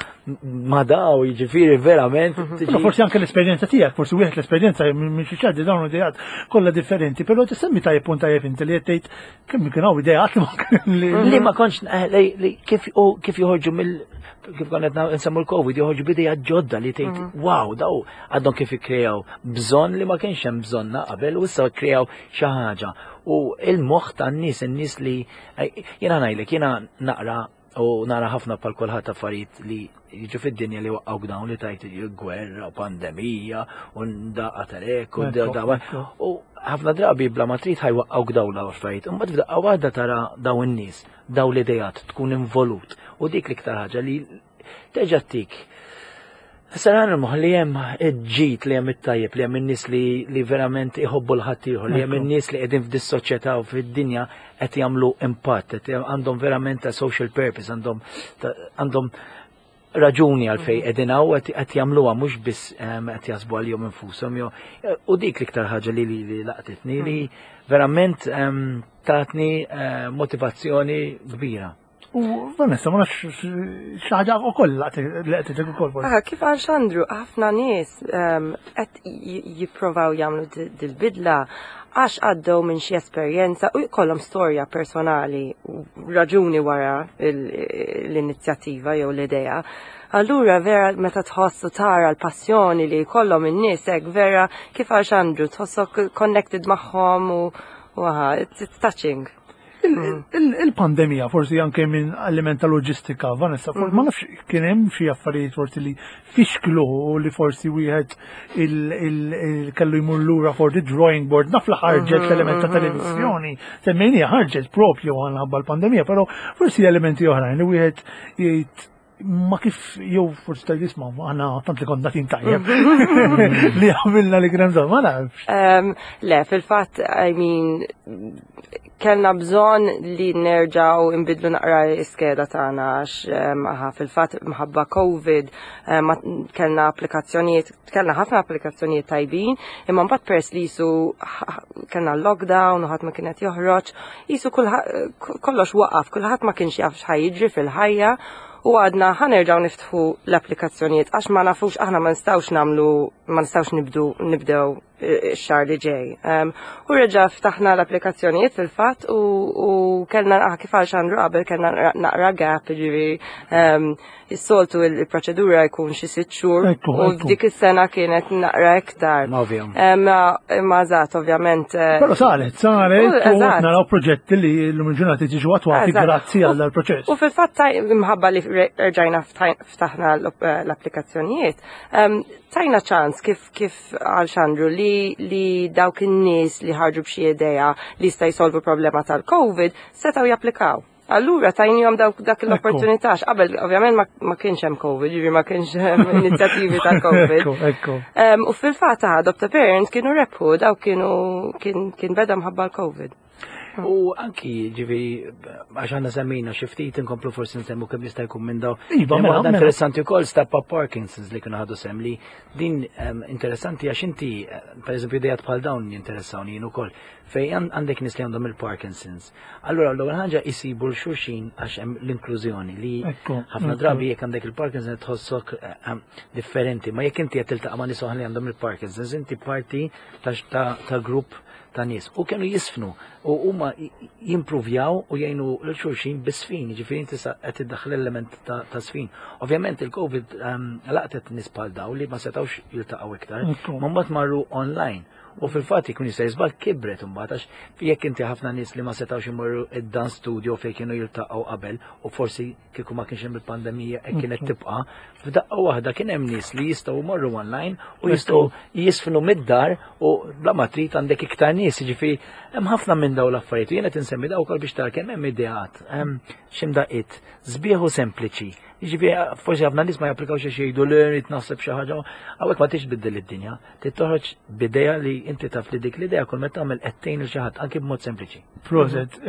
ma daw jiġifieri verament. Mhm. Forsi anke l-esperjenza tiegħek, forsi wieħed l-esperjenza minn xi ċaddi dawn ideat kollha differenti, però tissemmi tajjeb punt tajjeb inti li qed tgħid Kemm kien hawn ideat li li ma kontx eh, li kif u kif joħorġu mill kif konna qed nsemmu l-Covid joħorġu b'idea ġodda li tgħid mhm. wow daw għadhom kif ikkrejaw bżonn li ma kienx hemm bżonna qabel u issa kkrejaw xi ħaġa. U il-moħħ tan-nies in-nies li eh, jiena ngħidlek jiena naqra U nara ħafna bħal kulħadd affarijiet li jiġu fid-dinja li waqqgħu dawn li tajt gwerra u pandemija u ndaqqa tal-ek u dawa. U ħafna drabi bla ma trid ħajwaqqgħu dawn l-affarijiet. Imbagħad f'daqqa waħda tara dawn in-nies, dawn l-idejat tkun involut. U dik l-iktar ħaġa li terġa' tik Saran il-moħ li hemm ġid li hemm it-tajjeb li hemm in-nies li, li verament iħobbu l-ħaddieħor, li hemm in-nies li qegħdin f'dis-soċjetà u fid-dinja qed jagħmlu impatt, qed għandhom verament ta' social purpose, għandhom għandhom raġuni għalfej mhm. qegħdin hawn qed jagħmluha mhux biss ehm, qed jaħsbu għalihom infushom jew u dik l-iktar ħaġa li li laqtitni li mhm. verament ehm, tatni eh, motivazzjoni kbira. U Vanessa, ma nafx xi ħaġa wkoll li qed ukoll forsi. Ah, kif għal Xandru, ħafna nies ehm, qed jipprovaw jagħmlu dil-bidla għax għaddew minn xi esperjenza u jkollhom storja personali u raġuni wara l-inizjattiva jew l-idea. Allura vera meta tħoss u tara l-passjoni li jkollhom in-nies hekk vera kif għal Xandru tħossok connected magħhom u aha, it's touching. Il-pandemija forsi anke minn element ta' loġistika, Vanessa, forsi ma mhm. nafx kien hemm xi affarijiet forsi li fixklu u li forsi wieħed kellu jmur lura forsi drawing board, naf li ħarġet mhm, l-element ta' mhm, televiżjoni, semmejnija ħarġet propju għal l-pandemija, però forsi elementi oħrajn li wieħed jgħid ma kif jew forsi ta' jisma' aħna tant li konna tim tajjeb li għamilna li kien bżonn, ma nafx. Le, fil-fatt, I mean, kellna bżonn li nerġgħu nbidlu naqra l-iskeda tagħna għax aha, fil-fatt mħabba COVID kellna applikazzjonijiet, kellna ħafna applikazzjonijiet tajbin, imma mbagħad peress li jisu kellna lockdown u ħadd ma kienet joħroġ, jisu kollox waqaf, kulħadd ma kienx jaf x'ħajjiġri fil-ħajja. U għadna ħa nerġgħu niftħu l-applikazzjonijiet għax ma nafux aħna ma nistgħux nagħmlu ma nistgħux nibdu nibdew ix-xahar li ġej. U reġa' ftaħna l-applikazzjonijiet fil-fatt u kellna ah, kif għal Xandru qabel kellna naqra gap, ġifieri is-soltu il-proċedura jkun xi sitt xhur u dik is-sena kienet naqra iktar. Imma eżatt, ovvjament. Eh, Però saret, saret, u naraw proġetti li l-lum il-ġurnati ġiġu attwati grazzi għal dal-proċess. U fil-fatt imħabba li rġajna ftaħna eh, l-applikazzjonijiet, tajna ċans kif kif għal Xandru li li dawk in-nies li ħarġu b'xi idea li jista' jsolvu problema tal-COVID setgħu japplikaw. Allura tajnihom dawk dak l-opportunità qabel ovvjament ma kienx hemm COVID, jiġifieri ma kienx hemm inizjattivi tal-COVID. Ekku. U fil-fatt Adopt a Parent kienu rebħu dawk kienu kien beda mħabba l-COVID. U anki ġifieri għax għandna semmejna xi ftit inkomplu forsi nsemmu kemm jista' jkun minn daw. Iva, mela, waħda mela. interessanti wkoll Step Up Parkinson's li kienu ħadu sem li din interessanti għax inti pereżempju idejat bħal dawn jinteressawni jien ukoll fejn għandek nies li għandhom il-Parkinson's. Allura l-ewwel ħaġa jsibu l-xulxin għax hemm l-inklużjoni li ħafna drabi jekk għandek il-Parkinson's tħossok differenti, ma jekk inti qed tiltaqa' ma' nies oħra li għandhom il-Parkinson's inti parti ta' grupp ta' nies u kienu jisfnu u huma jimpruvjaw u jgħinu lil xulxin bis-sfin, jiġifieri inti sa qed iddaħħal element ta' sfin. Ovvjament il-Covid laqtet nies bħal daw li ma setgħux jiltaqgħu iktar, ma mbagħad marru online. U fil-fatt jkun jista' jiżball kibret imbagħad għax jekk inti ħafna nies li ma setgħux imorru id-dance studio fejn kienu jiltaqgħu qabel u forsi kieku ma kienx hemm il-pandemija hekk kienet tibqa', f'daqqa waħda kien hemm nies li jistgħu jmorru online u jistgħu jisfnu mid-dar u bla ma trid għandek iktar nies, jiġifieri hemm ħafna minn dawn l-affarijiet u jien qed insemmi daw ukoll biex tara kemm hemm ideat, hemm x'imdaqqiet sbieħ u sempliċi. Jiġifieri forsi ħafna nies ma japplikawx għax jgħidu li rrid naħseb xi ħaġa, hawnhekk ma tix tbiddel id-dinja. Trid toħroġ b'idea li inti taf li dik l-idea kull meta tagħmel qed tgħin lil xi ħadd anke b'mod sempliċi. Proset.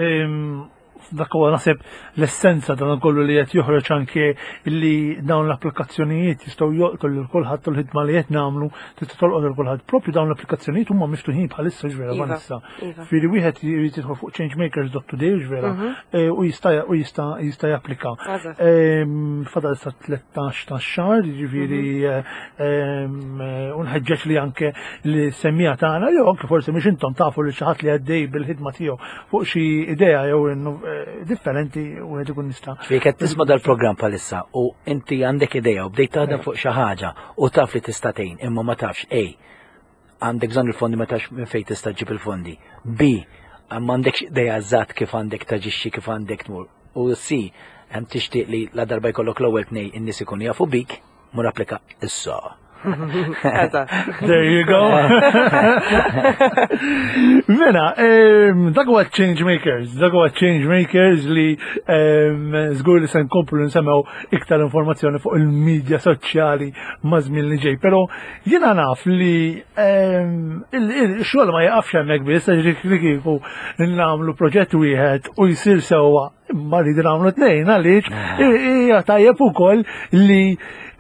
Dak huwa naħseb l-essenza ta' dan kollu li qed joħroġ anke li dawn l-applikazzjonijiet jistgħu jolqtu lil kulħadd u l-ħidma li qed nagħmlu tista' tolqot lil kulħadd. Propju dawn l-applikazzjonijiet huma miftuħin bħalissa ġvera iva, Vanessa. Iva. Fieri wieħed jrid jidħol fuq changemakers.today ġvera eh, u jista' u jista' jista' japplika. Fadal sa 13 ta' xahar, jiġifieri mhm. eh, u nħeġġeġ li anke li semmija tagħna jew anke forsi mhux intom tafu li xi ħadd li għaddej bil-ħidma tiegħu fuq xi idea jew eh, differenti u qed ikun nista'. Ġifieri qed tisma' dal-programm bħalissa u inti għandek idea u bdejt taħdem fuq xi ħaġa u taf li tista' tgħin imma ma tafx A għandek bżonn il-fondi ma tafx minn fejn tista' ġġib il-fondi. B m'għandekx idea eżatt kif għandek taġixxi kif għandek tmur. U C hemm tixtieq li la darba jkollok l-ewwel tnej in-nies ikunu jafu bik, mur applika issa. There you go. Mela, dak huwa Change Makers, dak huwa Change Makers li żgur li se nkomplu nsemmew iktar informazzjoni fuq il-medja soċjali ma' żmien li ġej. Però jiena naf li il-xogħol ma jaqafx hemmhekk biss għax li kieku nagħmlu proġett wieħed u jsir sewwa imma rridu nagħmlu tnejn għaliex hija tajjeb ukoll li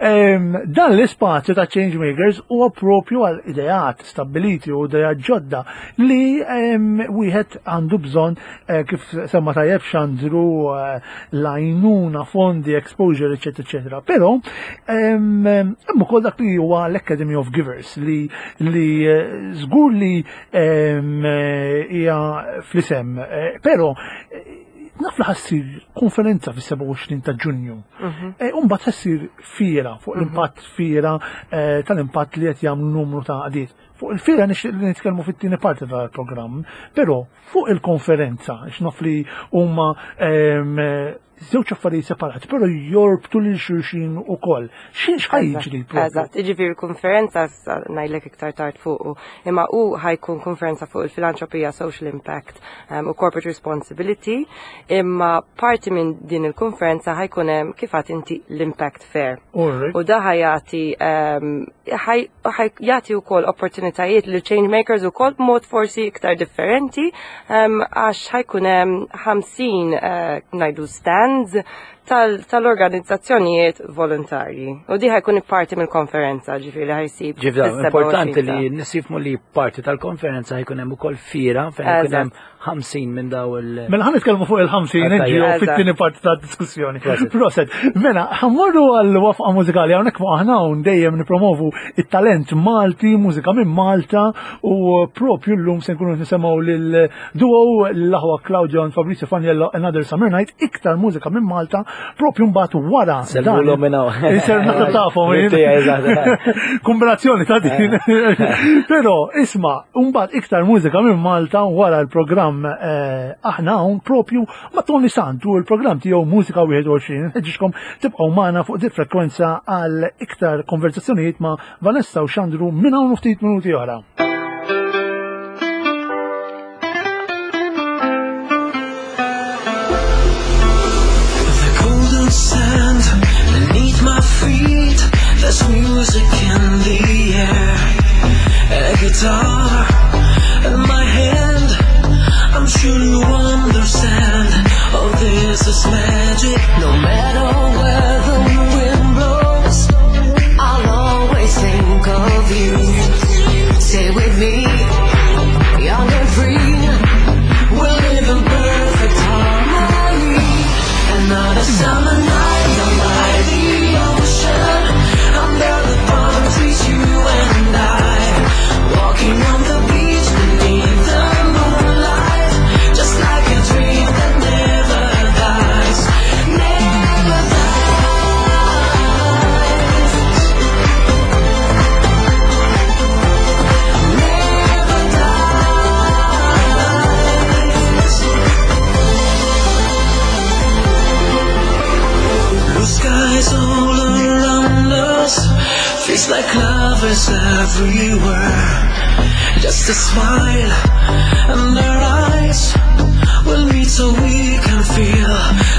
dan l-ispazju ta' Change Makers huwa propju għal ideat stabbiliti u ideat ġodda li wieħed għandu bżonn eh, kif semma tajjeb xandru eh, l-għajnuna, fondi, exposure, eċetera, eċetera. Però hemm ukoll dak li huwa l-Academy of Givers li li eh, żgur li hija fl-isem, però naf li ħassir konferenza fis-27 ta' Ġunju. E, Umbagħad ħassir fiera fuq mhm. l-impatt fiera eh, tal-impatt li qed jagħmlu numru ta' għadiet. Fuq il-fiera nixtieq li nitkellmu fit-tieni parti tal-programm, però fuq il-konferenza, x'naf li huma ehm, żewġ affarijiet separati, però jorbtu lil xulxin ukoll. X'in jiġri Eżatt, jiġifieri konferenza ngħidlek iktar tard fuq, imma hu ħajkun konferenza fuq il-filantropija social impact u corporate responsibility, imma parti minn din il-konferenza ħajkun hemm kif għad inti l-impact fair. U da ħajati jagħti wkoll opportunitajiet lil change makers ukoll b'mod forsi iktar differenti għax ħajkun hemm 50 eh, ngħidu stands tal-organizzazzjonijiet volontarji. U di ħajkun parti mill-konferenza, ġifieri li ħajsib. Ġifieri importanti li nisifmu li parti tal-konferenza ħajkun hemm ukoll fiera fejn ikun hemm 50 minn daw il- Mela ħan nitkellmu fuq il-50 NGO fit-tieni parti ta' diskussjoni. Proset. Mela, ħammorru għal wafqa mużikali hawnhekk fuq aħna hawn dejjem nipromovu it-talent Malti, mużika minn Malta u propju llum se nkunu nisimgħu lil duo l-aħwa Claudio and Fabrizio Faniello Another Summer Night, iktar mużika minn Malta, propju mbagħad wara. Sellulhom minn hawn. Inser naħseb tafhom. Kombinazzjoni ta' din. Però isma' mbagħad iktar mużika minn Malta wara l-programm eh, aħna hawn propju ma' Tony Santu l-programm tiegħu Mużika 21. Nħeġġiġkom tibqgħu magħna fuq di frekwenza għal iktar konversazzjonijiet ma' Vanessa u Xandru minn hawn ftit minuti oħra. There's music in the air A guitar in my hand I'm sure you understand Oh, this is magic No matter where the wind blows I'll always think of you Stay with me Young and free We'll live in perfect harmony Another summer night down by the ocean Under the palm trees, you and I Walking on the beach beneath the moonlight Just like a dream that never dies Never dies Never dies Blue skies all around us Feels like love is everywhere Just a smile and our eyes Will meet so we can feel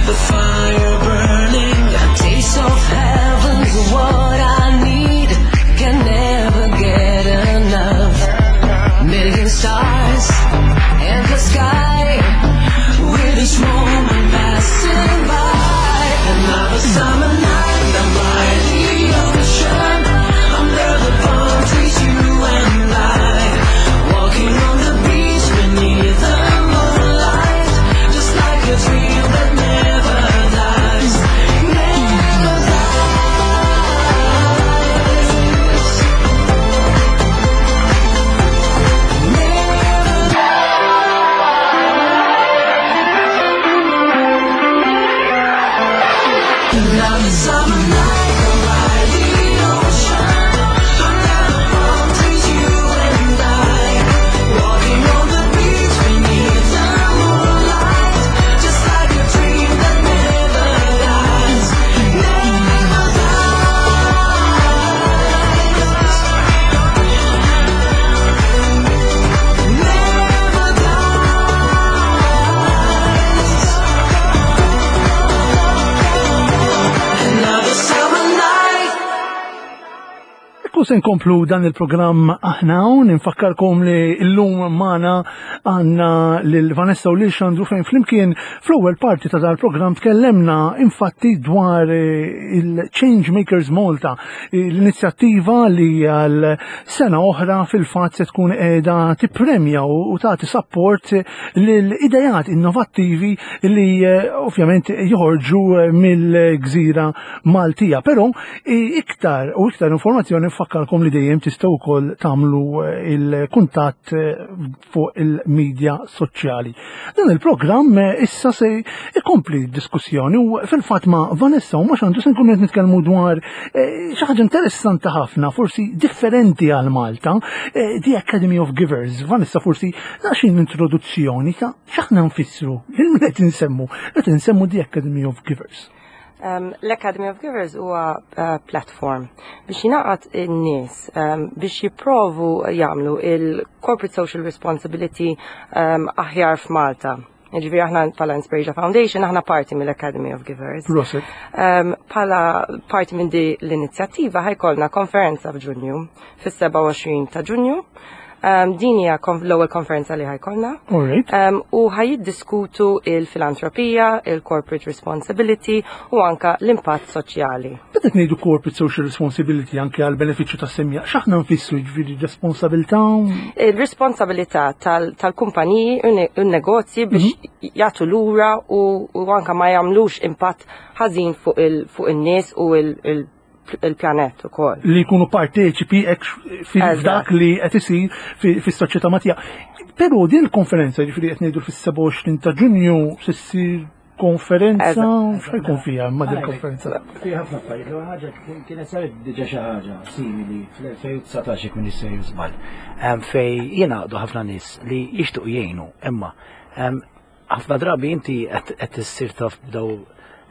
the fire burning A taste of heaven's what I need Can never get enough Million stars in the sky With each moment passing by Another summer night down by the ocean Under the palm trees, you and I Walking on the beach beneath the moonlight Just like a dream that never dies Never dies Never Another summer night down by the ocean Under the palm trees, you and I Walking on the beach beneath the moonlight Just like a dream that never dies Never dies Never dies Another summer night Ekku se nkomplu dan il-programm aħna hawn, infakkarkom li llum magħna għandna lil Vanessa u lil Xandru fejn flimkien fl-ewwel parti ta' dal-programm tkellemna infatti dwar il-Change Makers Malta, l-inizjattiva li għal sena oħra fil-fatt se tkun qiegħda tippremja u tagħti support lil idejat innovattivi li ovvjament joħorġu mill-gżira Maltija. Però iktar u iktar informazzjoni nfakkarkom li dejjem tistgħu wkoll tagħmlu il-kuntatt fuq il-medja soċjali. Dan il-programm issa se ikompli diskussjoni u fil-fatt ma' Vanessa u ma' Xandru se nkunu qed nitkellmu dwar xi ħaġa interessanti ħafna, forsi differenti għal Malta, The Academy of Givers. Vanessa, forsi daqsxejn introduzzjoni ta' x'aħna nfissru, lil min qed insemmu, qed insemmu The Academy of Givers. L-Academy of Givers huwa platform biex jingħaqad in-nies biex jipprovu jagħmlu il-corporate social responsibility aħjar f'Malta. Ġifieri aħna bħala Inspirasia Foundation aħna parti mill-Academy of Givers. Proset. Bħala parti minn di l-inizjattiva ħajkollna konferenza f'Ġunju, fis-27 ta' Ġunju. Din hija l-ewwel konferenza li ħa jkollna. U ħa jiddiskutu il-filantropija, il-corporate responsibility u anka l-impatt soċjali. Meta ngħidu corporate social responsibility anke għal benefiċċju tas-semmiegħa, x'aħna nfissru jiġifieri responsabilità? Il-responsabilità tal-kumpaniji u n-negozji biex jagħtu lura u anka ma jagħmlux impatt ħażin fuq in-nies u il-pjanet ukoll. Li jkunu parteċipi f'dak li qed isir fis-soċjetà Maltija. Però din il-konferenza ġifieri qed ngħidu fis-27 ta' Ġunju se ssir konferenza, x'ħa jkun fiha ma din konferenza? Fi ħafna affarijiet, l ħaġa kienet saret diġà xi ħaġa simili fl-2019 jekk m'iniex sejjer żball. Fej jingħaqdu ħafna nies li jixtuq jgħinu, imma ħafna drabi inti qed issir taf b'daw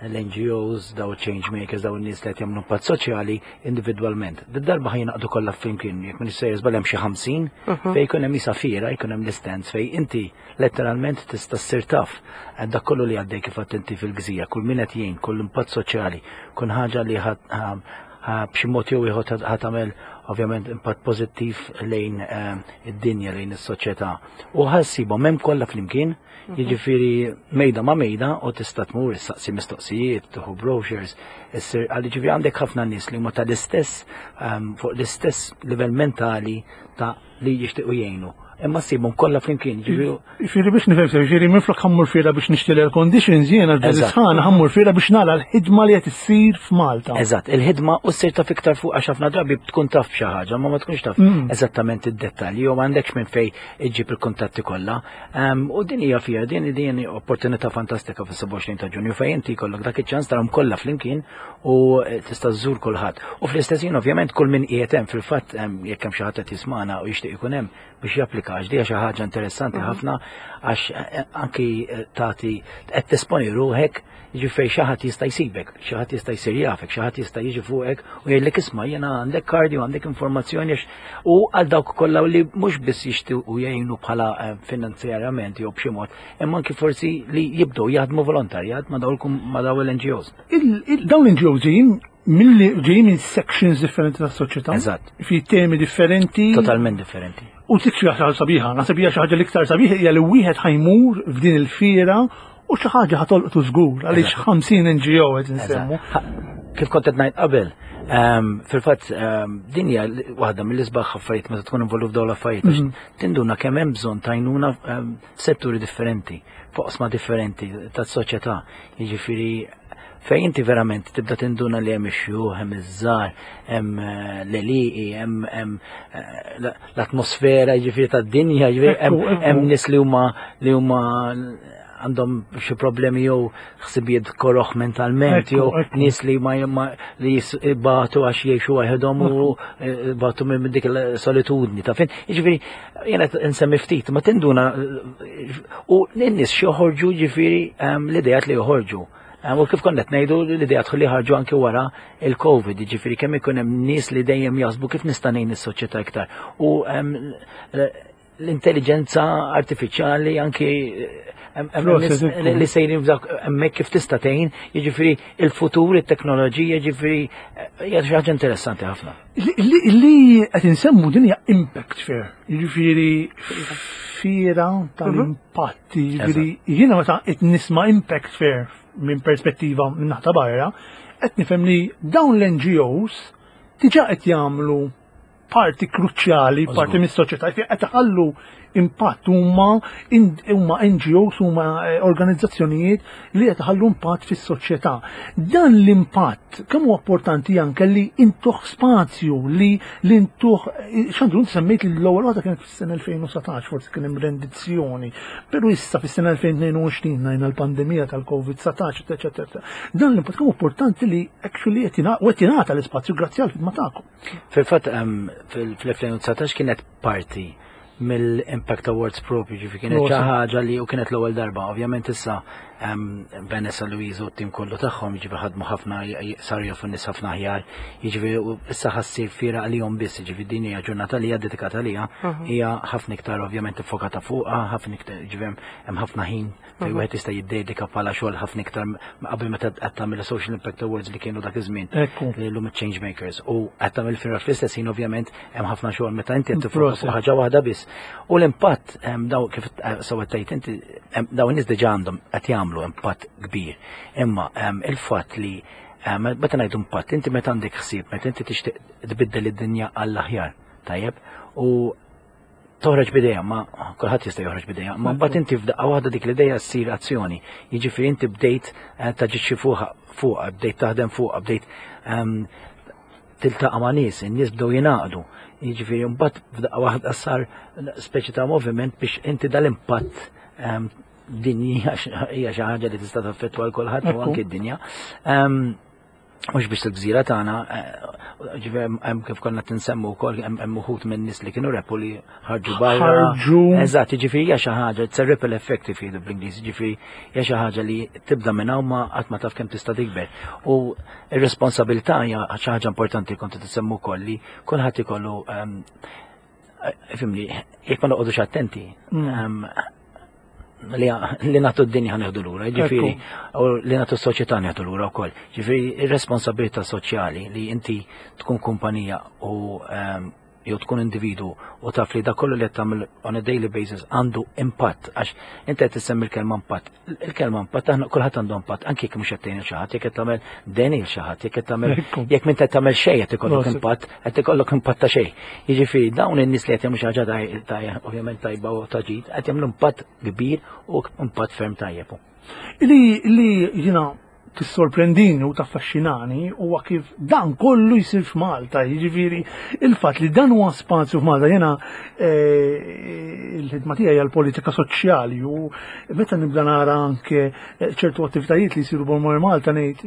l-NGOs, daw change makers, daw n-nies li qed jagħmlu impatt soċjali individwalment. Did-darba ħa jingħaqdu kollha flimkien, jekk m'iniex sejjer żball hemm xi 50 fejn jkun hemm isa fiera, jkun hemm l-istands fejn inti letteralment tista' ssir taf dak kollu li għaddej kif għedt inti fil-gżira, kull min qed jgħin, kull impatt soċjali, kull ħaġa li b'xi mod jew ieħor ħa tagħmel ovvjament impatt pożittiv lejn id-dinja, lejn is-soċjetà. U ħa ssibhom hemm kollha flimkien, jiġifieri mejda ma' mejda u tista' tmur issaqsi mistoqsijiet, tieħu brochures, issir għal jiġifieri għandek ħafna nies li huma tal-istess fuq l-istess livell mentali ta' li jixtiequ jgħinu. Imma ssibhom kollha flimkien, jiġifieri. Jiġifieri biex nifhem sew, jiġifieri minflok ħa mmur fiera biex nixtri l-air conditions, jiena f'dan is-sħana ħa mmur fiera biex nara l-ħidma li qed issir f'Malta. Eżatt, il-ħidma u ssir taf iktar fuq għax ħafna drabi tkun taf b'xi ħaġa, ma ma tkunx taf eżattament id-dettalji jew m'għandekx minn fejn iġġib il-kuntatti kollha. U din hija fiera, din din opportunità fantastika fis-27 ta' Ġunju fejn inti jkollok dak iċ-ċans tarahom kollha flimkien u tista' żżur kulħadd. U fl-istess ħin ovvjament kull min qiegħed hemm fil-fatt jekk hemm xi ħadd qed jismagħna u jixtieq ikun hemm biex japplika għax dija xi ħaġa interessanti ħafna għax anki tagħti qed tesponi ruħek jiġifieri xi ħadd jista' jsibek, xi ħadd jista' jsir jafek, xi ħadd jista' jiġi fuqek u jgħidlek isma' jiena għandek kardi u għandek informazzjoni għax u għal dawk kollha li mhux biss jixtiequ jgħinu bħala finanzjarjament jew b'xi mod, imma anki forsi li jibdew jaħdmu volontarjat ma' dawn l-NGOs. Dawn l-NGOs ġejjin milli ġejjin minn sections differenti tas-soċjetà. Eżatt. Fi temi differenti. Totalment differenti. U dik xi ħaġa sabiħa, naħseb hija xi ħaġa l-iktar sabiħa hija li wieħed ħa jmur f'din il-fiera u xi ħaġa ħa tolqtu żgur għaliex 50 NGO qed insemmu. Kif kont qed ngħid qabel, fil-fatt din hija waħda mill-isbaħ affarijiet meta tkun involut f'dawn l-affarijiet għax tinduna kemm hemm bżonn t'għajnuna f'setturi differenti, f'oqsma differenti tas-soċjetà. Jiġifieri fejn inti verament tibda tinduna li hemm ix-xjuħ, hemm iż-żgħar, hemm l-għelieqi, hemm l-atmosfera jiġifieri tad-dinja, jiġifieri hemm nies li huma li huma għandhom xi problemi jew ħsibijiet koroħ mentalment jew nies li ma li jibatu għax jgħixu waħedhom u batu minn dik il-solitudni ta' fin. Jiġifieri jiena nsemmi ftit ma tinduna u n-nies xi joħorġu jiġifieri l-ideat li joħorġu. U kif konna qed ngħidu l-ideat li ħarġu anki wara il-Covid, jiġifieri kemm ikun hemm nies li dejjem jaħsbu kif nista' ngħin is-soċjetà iktar. U l-intelligenza artifiċjali anki li sejrin f'dak hemmhekk kif tista' tgħin, jiġifieri il-futur, it-teknoloġija, jiġifieri hija xi ħaġa interessanti ħafna. Li qed insemmu din hija impact fair, jiġifieri fiera tal-impatt, jiġifieri jiena meta qed nisma' impact fair minn perspettiva minn naħta barra, qed nifhem li dawn l-NGOs diġà qed jagħmlu parti kruċjali, parti mis-soċjetà, qed iħallu impatt huma huma NGOs huma organizzazzjonijiet li qed iħallu impatt fis-soċjetà. Dan l-impatt kemm huwa importanti anke li intuh spazju li li intuh x'għandu inti semmejt li l-ewwel waħda kienet fis-sena 2019 forsi kien hemm rendizzjoni, però issa fis-sena 2022 ngħidna l-pandemija tal-COVID-19, eċetera. Dan l-impatt kemm importanti li actually qed jingħata l-ispazju grazzi għall-ħidma tagħkom. Fil-fatt fil-2019 kienet parti mill-Impact Awards propju, ġifi kienet xi ħaġa li u kienet l-ewwel darba. Ovvjament issa Vanessa Louise u t-tim kollu tagħhom jiġifieri ħadmu ħafna saru jafu nies ħafna aħjar, jiġifieri issa ħassir fiera għalihom biss, jiġifieri din hija ġurnata li hija dedikata għaliha, mhm. hija ħafna iktar ovvjament iffokata fuqha, ħafna iktar jiġifieri hemm ħafna ħin fejn mhm. wieħed jista' jiddedika bħala xogħol ħafna iktar qabel meta qed tagħmel social impact awards li kienu dak iż-żmien li llum change makers u qed tagħmel fiera fl-istess ħin ovvjament hemm ħafna xogħol meta inti qed tiffoka fuq ħaġa waħda biss. U l-impatt daw kif eh, sewa tgħid inti daw in-nies diġà għandhom qed jagħmlu impatt kbir. Imma il-fatt li meta ngħidu impatt, inti meta għandek ħsieb, meta inti tixtieq tbiddel id-dinja għall-aħjar, tajjeb, u toħroġ b'ideja, ma kulħadd jista' joħroġ b'ideja, ma mbagħad inti f'daqqa waħda dik l-ideja ssir azzjoni. Jiġifieri inti bdejt eh, taġixxi fuqha, fuqha, bdejt taħdem fuqha, bdejt ehm, tiltaqa' ma' nies, in-nies bdew jingħaqdu. Jiġifieri mbagħad f'daqqa waħda sar speċi ta' moviment biex inti dal-impatt ehm, dinji hija xi ħaġa li tista' taffettwa l kulħadd u anke d-dinja. Ehm, mhux biex il-gżira tagħna, eh, ġifieri hemm kif konna tinsemmu wkoll hemm uħud minn nies li kienu repu li ħarġu barra. Ħarġu. Eżatt, jiġifieri hija xi ħaġa, it's a ripple effect if jgħidu bl-Ingliż, jiġifieri hija xi ħaġa li tibda minn hawn ma qatt ma taf kemm tista' tikber. U r-responsabilità hija xi ħaġa importanti kont tisemmu wkoll li kulħadd ikollu ehm, fimni, jekk ma noqogħdux attenti, mm. ehm, li nagħtu d-dinja nieħdu lura, ġifieri, u li nagħtu s-soċjetà nieħdu lura wkoll. Ġifieri ir-responsabilità soċjali li inti tkun kumpanija u ehm, jew tkun individu u taf li dak kollu li qed tagħmel on a daily basis għandu impatt għax inti qed tissemmi l-kelma impatt. Il-kelma impatt aħna kulħadd għandu impatt anke jekk mhux qed tgħin xi ħadd, jekk qed tagħmel deni l xi ħadd, jekk qed tagħmel jekk minn qed tagħmel xejn qed ikollok impatt, qed ikollok impatt ta' xejn. Jiġifieri dawn in-nies li qed jagħmlu xi ħaġa ta' ovvjament tajba u ta' ġid, qed jagħmlu impatt kbir u impatt ferm tajjeb. Li li jiena tissorprendini u taffaxxinani huwa kif dan kollu jsir f'Malta, jiġifieri il-fatt li dan huwa spazju f'Malta jiena eh, il-ħidma tiegħi għal politika soċjali u meta nibda nara anke eh, ċertu attivitajiet li jsiru bol Malta ngħid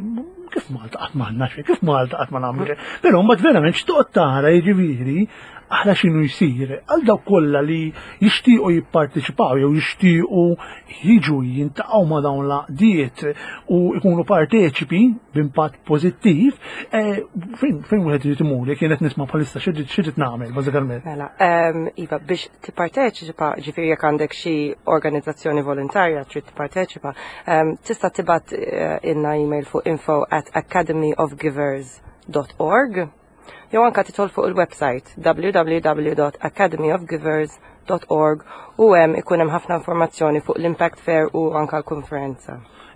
kif Malta qatt m'għandna xejn, kif Malta qatt ma nagħmlu xejn. Però mbagħad verament x'toqgħod tara jiġifieri aħna x'inhu jsir għal dawk kollha li jixtiequ jipparteċipaw jew jixtiequ jiġu jintaqgħu ma' dawn l-għaqdiet u jkunu parteċipi b'impatt pożittiv, eh, fejn wieħed irid imur jekk jien qed nisma' bħalissa xi trid nagħmel bażikament. Mela, ehm, iva, biex tipparteċipa, ġifieri jekk għandek xi organizzazzjoni volontarja trid tipparteċipa, ehm, tista' tibgħat eh, ilna email fuq info at academyofgivers.org jew anka tidħol fuq il-website www.academyofgivers.org u hemm ikun hemm ħafna informazzjoni fuq l-Impact Fair u anka l-konferenza.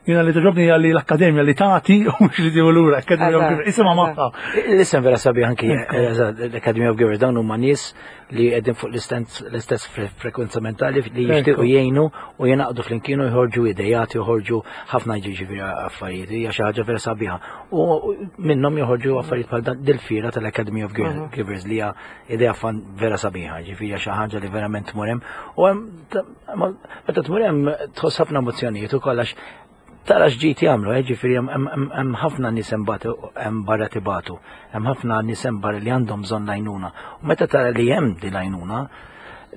Jiena li togħġobni hija li l-akkademja li tagħti u mhux li tieħu lura, Academy of Givers, isimha magħha. L-isem vera sabiħ anki l-Academy of Givers dawn huma nies li qegħdin fuq l-istess frekwenza mentali li jixtiequ jgħinu u jingħaqdu flimkien u jħorġu idejat, joħorġu ħafna ġifieri affarijiet, hija xi ħaġa vera sabiħa. U minnhom joħorġu affarijiet bħal dil-fiera tal-Academy of mhm. Givers li hija idea fan vera sabiħa, ġifieri hija xi ħaġa li verament tmur hemm. U hemm meta tmur hemm tħoss ħafna emozzjonijiet ukoll għax Tara x'ġid jagħmlu, eh, ġifieri hemm ħafna nies hemm barra tibatu, hemm ħafna nies hemm barra li għandhom bżonn l-għajnuna. U meta tara li hemm din l-għajnuna,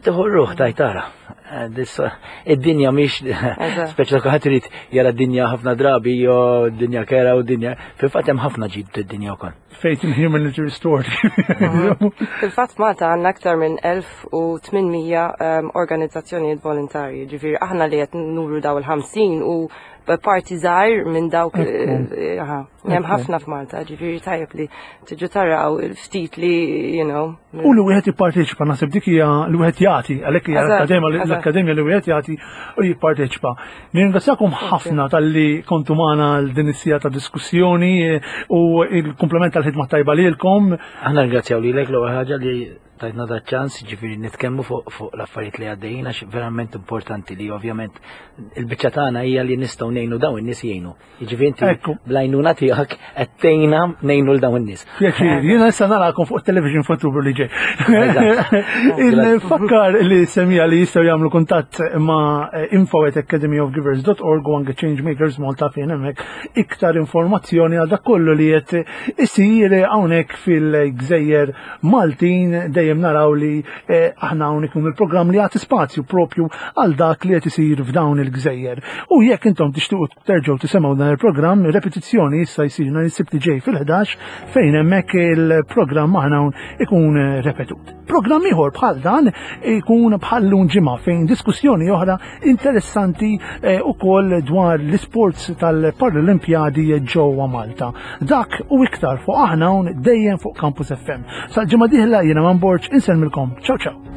tieħu ruħ taj tara. Eh, id-dinja mhix speċi ta' kulħadd irid jara d-dinja ħafna drabi jew d-dinja kera u d-dinja. Fil-fatt hemm ħafna ġid d-dinja wkoll. Faith in humanity restored. Fil-fatt Malta għandna aktar minn 1800 ehm, organizzazzjonijiet volontarji, ġifieri aħna li qed nuru daw il-50 u parti żgħir minn dawk eh, hemm ħafna f'Malta, ġifieri tajjeb li tiġu taraw il-ftit li, you know. U li wieħed jipparteċipa, naħseb dik hija li wieħed jagħti, għalhekk hija l-akkademja li wieħed jagħti u jipparteċipa. Nirringrazzjakom ħafna talli kontu magħna għal din is-sija ta' diskussjoni eh, u il-komplement tal-ħidma tajba lilkom. Aħna ringrazzjaw lilek l-ewwel ħaġa li tajtna da ċans ġifieri nitkellmu fuq fuq l-affarijiet li għaddejjin għax verament importanti li ovvjament il-biċċa tagħna hija li nistgħu ngħinu dawn in-nies jgħinu. Jiġifieri inti bl-għajnuna tiegħek qed tgħinna ngħinu l dawn in-nies. Pjaċir, jiena issa narakom fuq television f'Ottubru li ġej. Il-fakkar li semija li jistgħu jagħmlu kuntatt ma' info@academyofgivers.org u anke Changemakers Malta fejn hemmhekk iktar informazzjoni għal dak kollu li qed isir hawnhekk fil-gżejjer Maltin dejjem dejjem naraw li eh, aħna hawn ikun il-programm li jagħti spazju propju għal dak li qed isir f'dawn il-gżejjer. U jekk intom tixtiequ terġgħu tisimgħu dan il-programm, repetizzjoni issa jsir nhar is-Sibt li ġej fil-11 fejn hemmhekk il-programm aħna hawn ikun repetut. Programm ieħor bħal dan ikun bħal lum ġimgħa fejn diskussjoni oħra interessanti eh, ukoll dwar l-isports tal-Paralimpjadi ġewwa Malta. Dak u iktar fuq aħna hawn dejjem fuq Campus FM. Sal-ġimgħa dieħla jiena Man Borg insellmilkom. Ciao ciao.